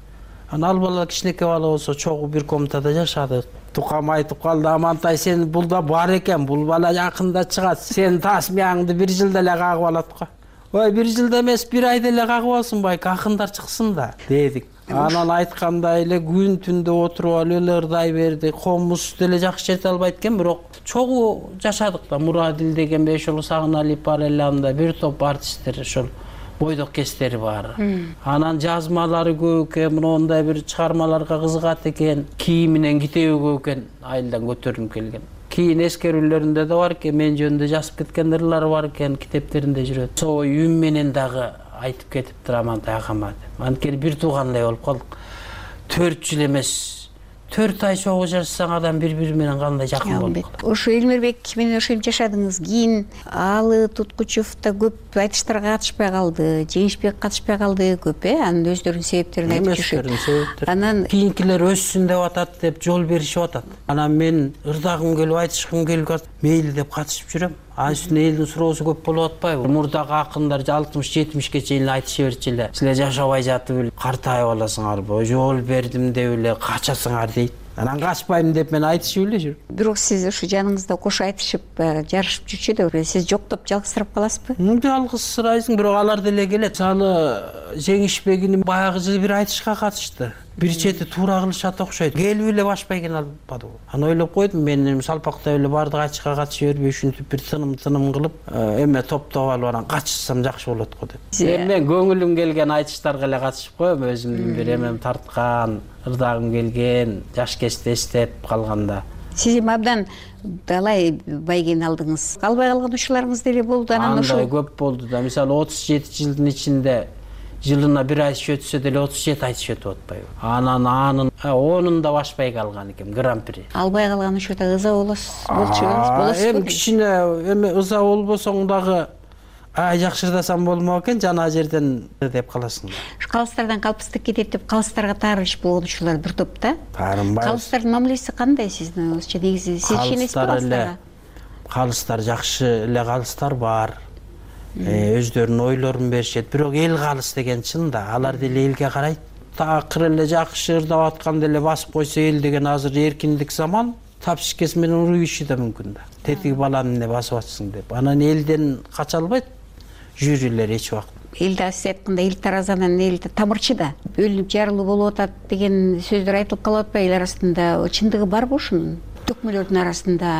Анан ал бала кичинекей бала болсо чогуу бир комнатада жашады. Тукам айтып калды: "Амантай, сен булда бар экен, бул бала жакында чыгат. Сен тасмияңды 1 жылда эле кагып алат го." Ой, 1 жылда эмес, 1 айда эле кагып алсын, байке акындар чыксын да, дедик. Анан айткандай эле күн түндө отуруп алып эле ырдай берди. Комуз деле жакшы жете албайт экен, бирок чогуу жашадык да. Мурадил деген Бешоолу Сагыналиев бар эле, анда бир топ артисттер, ошол бойдок кестери бар. Анан жазмалары көп экен, мондай бир чыгармаларга кызыгат экен. Кийиминен китеби көп экен, айылдан көтөрүлүп келген. Кийин эскерүүлөрүндө да бар экен, мен жөнүндө жазып кеткен ырлары бар экен, китептеринде жүрөт. Соо үн менен дагы айтып кетиптир Амантай агама. Анткени бир туугандай болуп калдык. 4 жыл эмес, 4 ай чогуу жашасаң адам бири-бири менен кандай жакын болуп калат.
Ошо Элмирбек менен ошентип жашадыңыз. Кийин Алы Туткучев да көп айтыштарга катышпай калды, Жеңишбек катышпай калды көп, анын өздөрүнүн себептерин айтып жүрүшөт. Анан
кийинкилер өссүн деп атат деп жол беришип атат. Анан мен ырдагым келип айтышкым келип калат, мейли деп катышып жүрөм. Анын үстүнө элдин суроосу көп болуп атпайбы? Мурдагы акындар 60-70ге чейин айтыша берчү эле. Силер жашабай жатып эле картайып аласыңарбы, жол бердим деп эле качасыңар дейт. Анан качпайм деп мен айтышып эле жүрөм.
Бирок сиз ушу жаныңызда кошо айтышып, жарышып жүрчү да, сиз жоктоп жалгызсырап каласызбы?
Жалгызсырайсың, бирок алар деле келет. Мисалы Жеңишбегин баягы жылы бир айтышка катышты. Бир чети туура кылышат окшойт. Келип эле башпай келе албады. Аны ойлоп койдум, мен салпактап эле бардык айтышка катышып бербей ушинтип бир тыным кылып, эме топтоп алып анан качышсам жакшы болот го деп. Мен көңүлүм келген айтыштарга эле катышып коем, өзүмдүн бир эмем тарткан, ырдагым келген, жаш кезде эстеп калганда.
Сиз эми абдан далай байгени алдыңыз. Калбай калган учурларыңыз деле болду.
Анан ошо көп болду да. Мисалы 37 жылдын ичинде жылына бир айтыш өтсө деле 37 айтыш өтүп атпайбы. Анын 10-унда башпай калган экен гран-при.
Албай калган учурда ыза болосузбу?
Эми кичине эми ыза болбосоң дагы жакшыртасам болмок экен, жана жерден деп каласың.
Калыстардан калпыстык кетет деп калыстарга таарылыш болгон учурлар бир топ да.
Таарынбайбыз.
Калыстардын мамилеси кандай сиздин оюңузча? Негизи сиз ишенесизби калыстарга?
Калыстар жакшы эле калыстар бар. Өздөрүнүн ойлорун беришет. Бирок эл калыс деген чын да. Алар деле элге карайт. Такыр эле жакшы ырдап атканда эле басып койсо эл деген азыр эркиндик заман. Тапшикес менен уруйушу да мүмкүн да. Тетиги баланы эмне басып атсың деп. Анан элден кача албайт жюрилер эч убакыт.
Элде сиз айткандай эл таразанан эл тамырчы да. Бөлүнүп жарылуу болуп атат деген сөздөр айтылып калып атпайбы эл арасында? Чындыгы барбы ушунун? Төкмөлөрдүн арасында,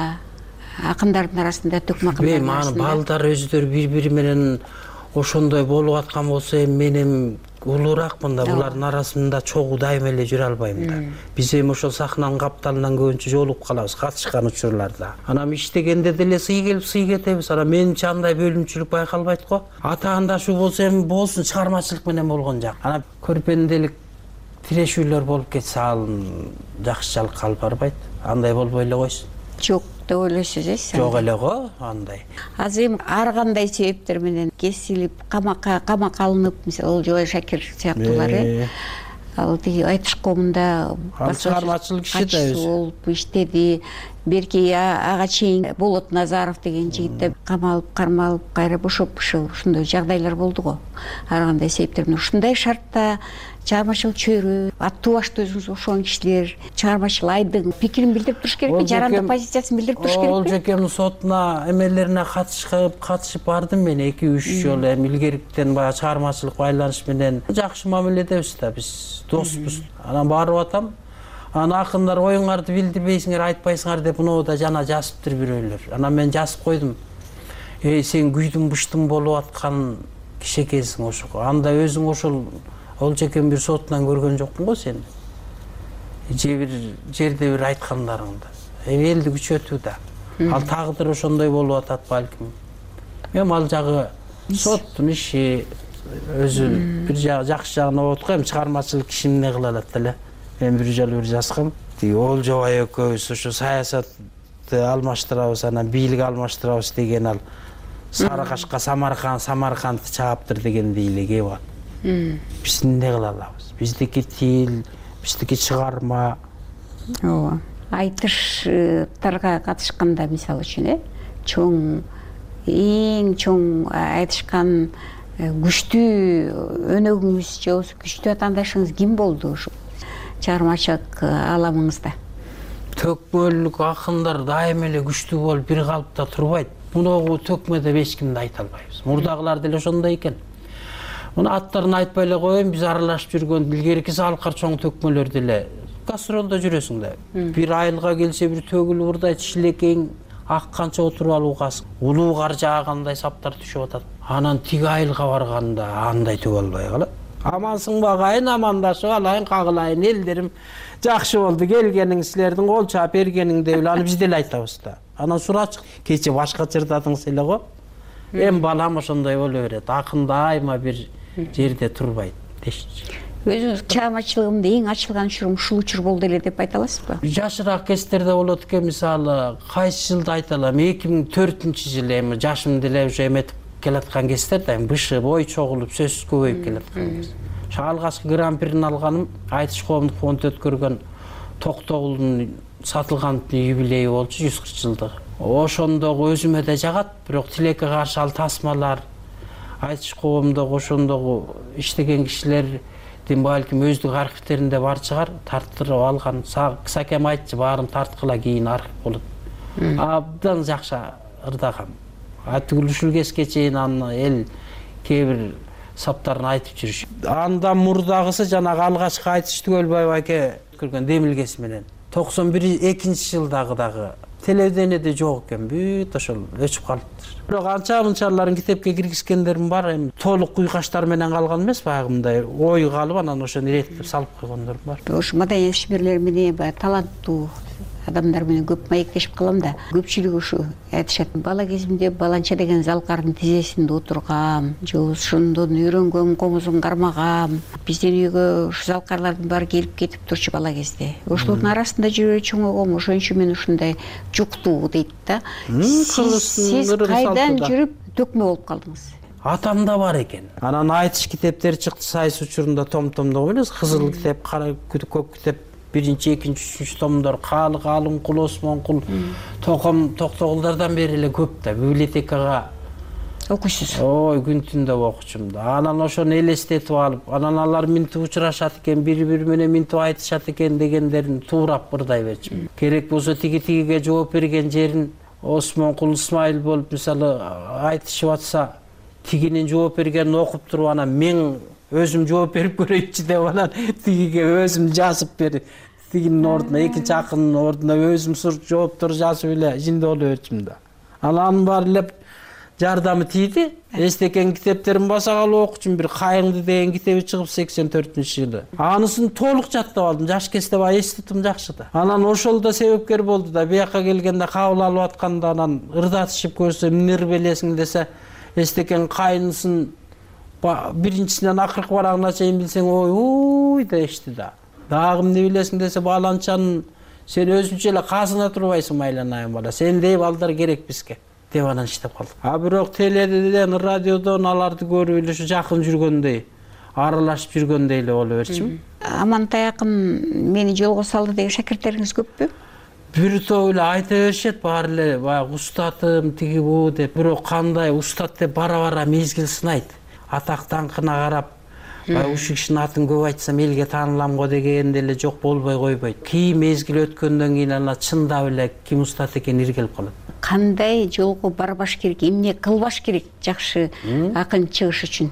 акындардын арасында, төкмө акындардын арасында?
Балдар өздөрү бири-бири менен ошондой болуп аткан болсо мен улууракмын да, булардын арасында чогуу дайыма эле жүрө албайм да. Биз эми ошол сахнанын капталынан көбүнчө жолугуп калабыз катышкан учурларда. Анан иштегенде деле сый келип сый кетебиз. Анан менимче андай бөлүнчүлүк байкалбайт го. Атаандашуу болсо эми болсун, чыгармачылык менен болгон жак. Анан көрпенделик тирешүүлөр болуп кетсе ал жакшылыкка алып барбайт. Андай болбой эле койсун.
Жок деп ойлойсуз,
Жок эле го андай.
Азыр эми ар кандай себептер менен кесилип, камакка алынып, мисалы Жолай Шакир сыяктуулар, ал тиги айтыш коомунда
чыгармачылык иши да өзү
болуп иштеди. Берки ага чейин Болот Назаров деген жигит да камалып, кармалып, кайра бошоп ушундай жагдайлар болду го. Ар кандай себептер менен ушундай шартта чыгармачылык чөйрө, аттуу башты өзүңүз ошон кишилер чыгармачыл айдың пикирин билдирип туруш керекпи? Жарандык позициясын билдирип туруш керекпи?
Ол жекемдин сотуна эмелерине катышып бардым мен 2-3 жолу. Эми илгериден баягы чыгармачылык байланыш менен жакшы мамиледебиз да, биз доспуз. Анан барып атам. Анан акындар оюңарды билдирбейсиңер, айтпайсыңар деп мынау жана жазыптыр бирөөлөр. Анан мен жазып койдум. Сен күйдүн буштун болуп аткан киши экенсиң ошо. Анда өзүң ошол ол жекен бир сотунан көргөн жокпун го сени. Же бир жерде бир айткандарыңды. Элди күчөтүү да. Ал тагдыр ошондой болуп атат балким. Эми ал жагы соттун иши, өзү бир жакшы жагына болот го. Эми чыгармачылык киши эмне кыла алат эле. Мен бир жолу бир жазгам. Олжобай экөөбүз ошо саясатты алмаштырабыз, анан бийлик алмаштырабыз деген ал Сары кашка Самаркандты чааптыр дегендей эле кеп алат. Биз эмне кыла алабыз? Биздики тил, биздики чыгарма,
ооба айтыштарга катышканда мисалы үчүн чоң эң чоң айтышкан күчтүү өнөгүңүз же болбосо күчтүү атаандашыңыз ким болду ушул чыгармачылык аламыңызда?
Төкмөлүк акындар дайыма эле күчтүү болуп бир калыпта турбайт. Муногу төкмө деп эч кимди айта албайбыз. Мурдагылар деле ошондой экен. Муну аттарын айтпай эле коеюн, биз аралашып жүргөн илгерки салкар чоң төкмөлөр деле гастролдо жүрөсүң да. Бир айылга келсе бир төгүл урдайт, шилекең ак канча отуруп алуугасың. Улуу кар жаагандай саптар түшүп атат. Анан тиги айылга барганда андай түгө албай калат. Амансың багайын, амандашып алайын, кагылайын, элдерим жакшы болду, келгениңиз силердин кол чаап бергениң деп эле аны биз деле айтабыз да. Анан сурачы кече башка чырдадыңыз эле го. Эми балам ошондой боло берет. Акын дайыма бир жерде турбайт дешчи.
Өзүңүз чыгармачылыгымда эң ачылган учурум ушул учур болду эле деп айта аласызбы?
Жашыраак кездерде болот экен, мисалы, кайсы жылды айта алам? 2004-жылы эми жашым деле уже эметип келаткан кездер да, бышып, ой чогулуп, сөз көбөйүп келаткан кез. Алгачкы гран-прини алганым айтыш коомдук фонд өткөргөн Токтогулдун сатылган юбилейи болчу, 140 жылдыгы. Ошондогу өзүмө да жагат, бирок тилекке каршы ал тасмалар айтыш коомдогу ошондогу иштеген кишилердин балким өздүк архивтеринде бар чыгар, тарттырып алган. Сакем айтчы, баарын тарткыла кийин архив болот. Абдан жакшы ырдагам. Түгүл ушул кезге чейин аны эл кээ бир саптарын айтып жүрүш. Андан мурдагысы жанагы алгачкы айтыш Түгөлбаев аке көргөн демилгеси менен 91-2-жылдагы дагы телевидениеде жок экен, бүт ошол өчүп калыптыр. Бирок анча мынчаларын китепке киргизгендерим бар, эми толук уйкаштар менен калган эмес, баягындай ой калып анан ошону иреттеп салып койгондор бар.
Ошо маданият ишмерлери менен баягы таланттуу адамдар менен көп маектешип калам да, көпчүлүгү ушу айтышат. Бала кезимде баланча деген залкардын тизесинде отургам, же ошондон үйрөнгөм, комузун кармагам. Биздин үйгө ушу залкарлардын баары келип кетип турчу бала кезде. Ошолордун арасында жүрө чоңойгом, ошон үчүн мен ушундай жуктуу дейт да. Сиз кайдан жүрүп төкмө болуп калдыңыз?
Атамда бар экен. Анан айтыш китептери чыкты сайыс учурунда том-томдо эмес, кызыл китеп, кара көк китеп, 1-2-3 томдор, Калым Кул, Осмонкул, Токтогулдардан бери эле көп да, библиотекага
окуйсуз.
Ой, күн түндө окучум да. Анан ошону элестетип алып, анан алар минтип учурашат экен, бири-бири менен минтип айтышат экен дегендерин туурап ырдай берчүмүн. Керек болсо тиги-тигиге жооп берген жерин Осмонкул Исмайыл болуп мисалы айтышып атса, тигинин жооп бергенин окуп туруп анан мен өзүм жооп берип көрөйүнчү деп анан тигиге өзүм жазып берип, тигинин ордуна, экинчи акындын ордуна өзүм жооптор жазып эле жинде боло берчүмүн да. Анан баары эле жардамы тийди. Эстекен китептерин баса калып окучум, бир Кайыңды деген китеби чыгып 84-жылы. Анысын толук жаттап алдым. Жаш кезде баа эстетим жакшы да. Анан ошол да себепкер болду да. Бияка келгенде кабыл алып атканда анан ырдатышып көрсө, эмнери белесиң десе, эстекен Кайынысын биринчисинен акыркы барагына чейин билсең, ой дешти да. Дагы эмне билесиң десе, баланчанын сен өзүнчө эле казына турбайсың майланайын бала. Сендей балдар керек бизге деп анан иштеп калдык. Бирок теледен, радиодон аларды көрүп эле ушу жакын жүргөндөй, аралашып жүргөндөй эле боло берчүмүн.
Амантай акын мени жолго салды деген шакирттериңиз көппү?
Бир топ эле айта беришет, баары эле баягы устатым тиги бу деп. Бирок кандай устат деп бара-бара мезгил сынайт. Атак даңкына карап, ушул кишинин атын көп айтсам элге таанылам го деген деле жок болбой койбойт. Кийин мезгил өткөндөн кийин ана чындап эле ким устат экени иргелип калат.
Кандай жолго барбаш керек, эмне кылбаш керек жакшы акын чыгыш үчүн?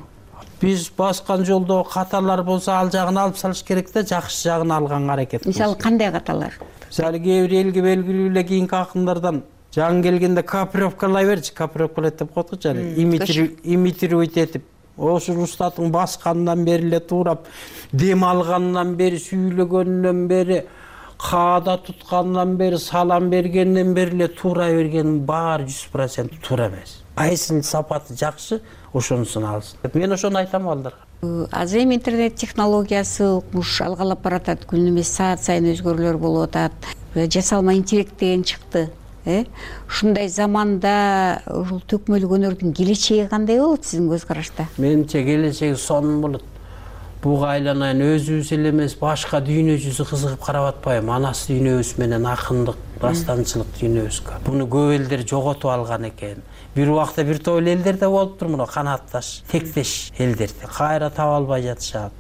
Биз баскан жолдо каталар болсо ал жагын алып салыш керек да, жакшы жагын алганга аракет кылабыз.
Мисалы кандай каталар?
Мисалы кээ бир элге белгилүү эле кийинки акындардан жаңы келгенде копировкалай берчи, копировкалайт деп коет го жана, имитировать этип, ошол устаттын баскандан бери эле туурап, дем алгандан бери, сүйлөгөндөн бери, каада туткандан бери, салам бергенден бери эле туура берген баары 100% туура эмес. Кайсынын сапаты жакшы, ошонусун алсын. Мен ошону айтам балдарга.
Азыр эми интернет технологиясы укмуш алгалап баратат, күнү эмес саат сайын өзгөрүүлөр болуп атат. Жасалма интеллект деген чыкты. Ушундай заманда ушул төкмөлүк өнөрдүн келечеги кандай болот сиздин көз карашта?
Менимче келечеги сонун болот. буга айланайын, өзүбүз эле эмес башка дүйнө жүзү кызыгып карап атпайбы? Анас дүйнөбүз менен акындык, дастанчылык дүйнөбүзгө. Буну көп элдер жоготуп алган экен. Бир убакта бир топ элдер да болуптур, мына канатташ, тектеш элдерди кайра таба албай жатышат.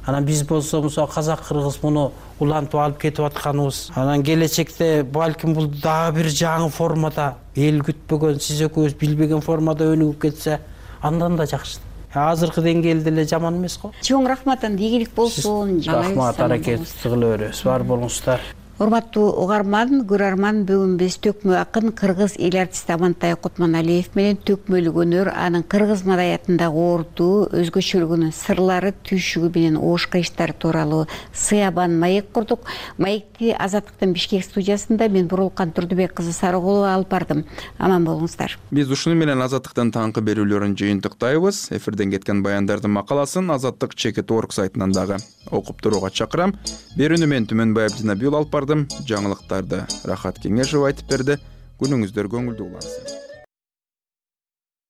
Анан биз болсо мисалы казак кыргыз муну улантып алып кетип атканыбыз. Анан келечекте балким бул дагы бир жаңы формада, эл күтпөгөн, сиз экөөбүз билбеген формада өнүгүп кетсе, андан да жакшы. Азыркы деңгээлде эле жаман эмес го.
Чоң рахмат, ийгилик болсун.
Рахмат, аракет кыла беребиз. Бар болуңуздар.
Урматтуу угарман, көрөрман, бүгүн биз төкмө акын кыргыз эл артисти Амантай Кутманалиев менен төкмөлүк өнөр, анын кыргыз маданиятындагы орду, өзгөчөлүгүнүн сырлары, түйшүгү менен оош кыйыштары тууралуу сыябан маек курдук. Маекти Азаттыктын Бишкек студиясында мен Бурулкан Турдубек кызы Сарыгулова алып бардым. Аман болуңуздар.
Биз ушуну менен Азаттыктын таңкы берүүлөрүн жыйынтыктайбыз. Эфирден кеткен баяндардын макаласын Азаттык Чекит.org сайтынан дагы окуп турууга чакырам. Берүүнү мен Түмөнбай Абдинабиул алып бардым. Жаңылыктарды Рахат Кеңешов айтып берди. Күнүңүздөр көңүлдүү улансын.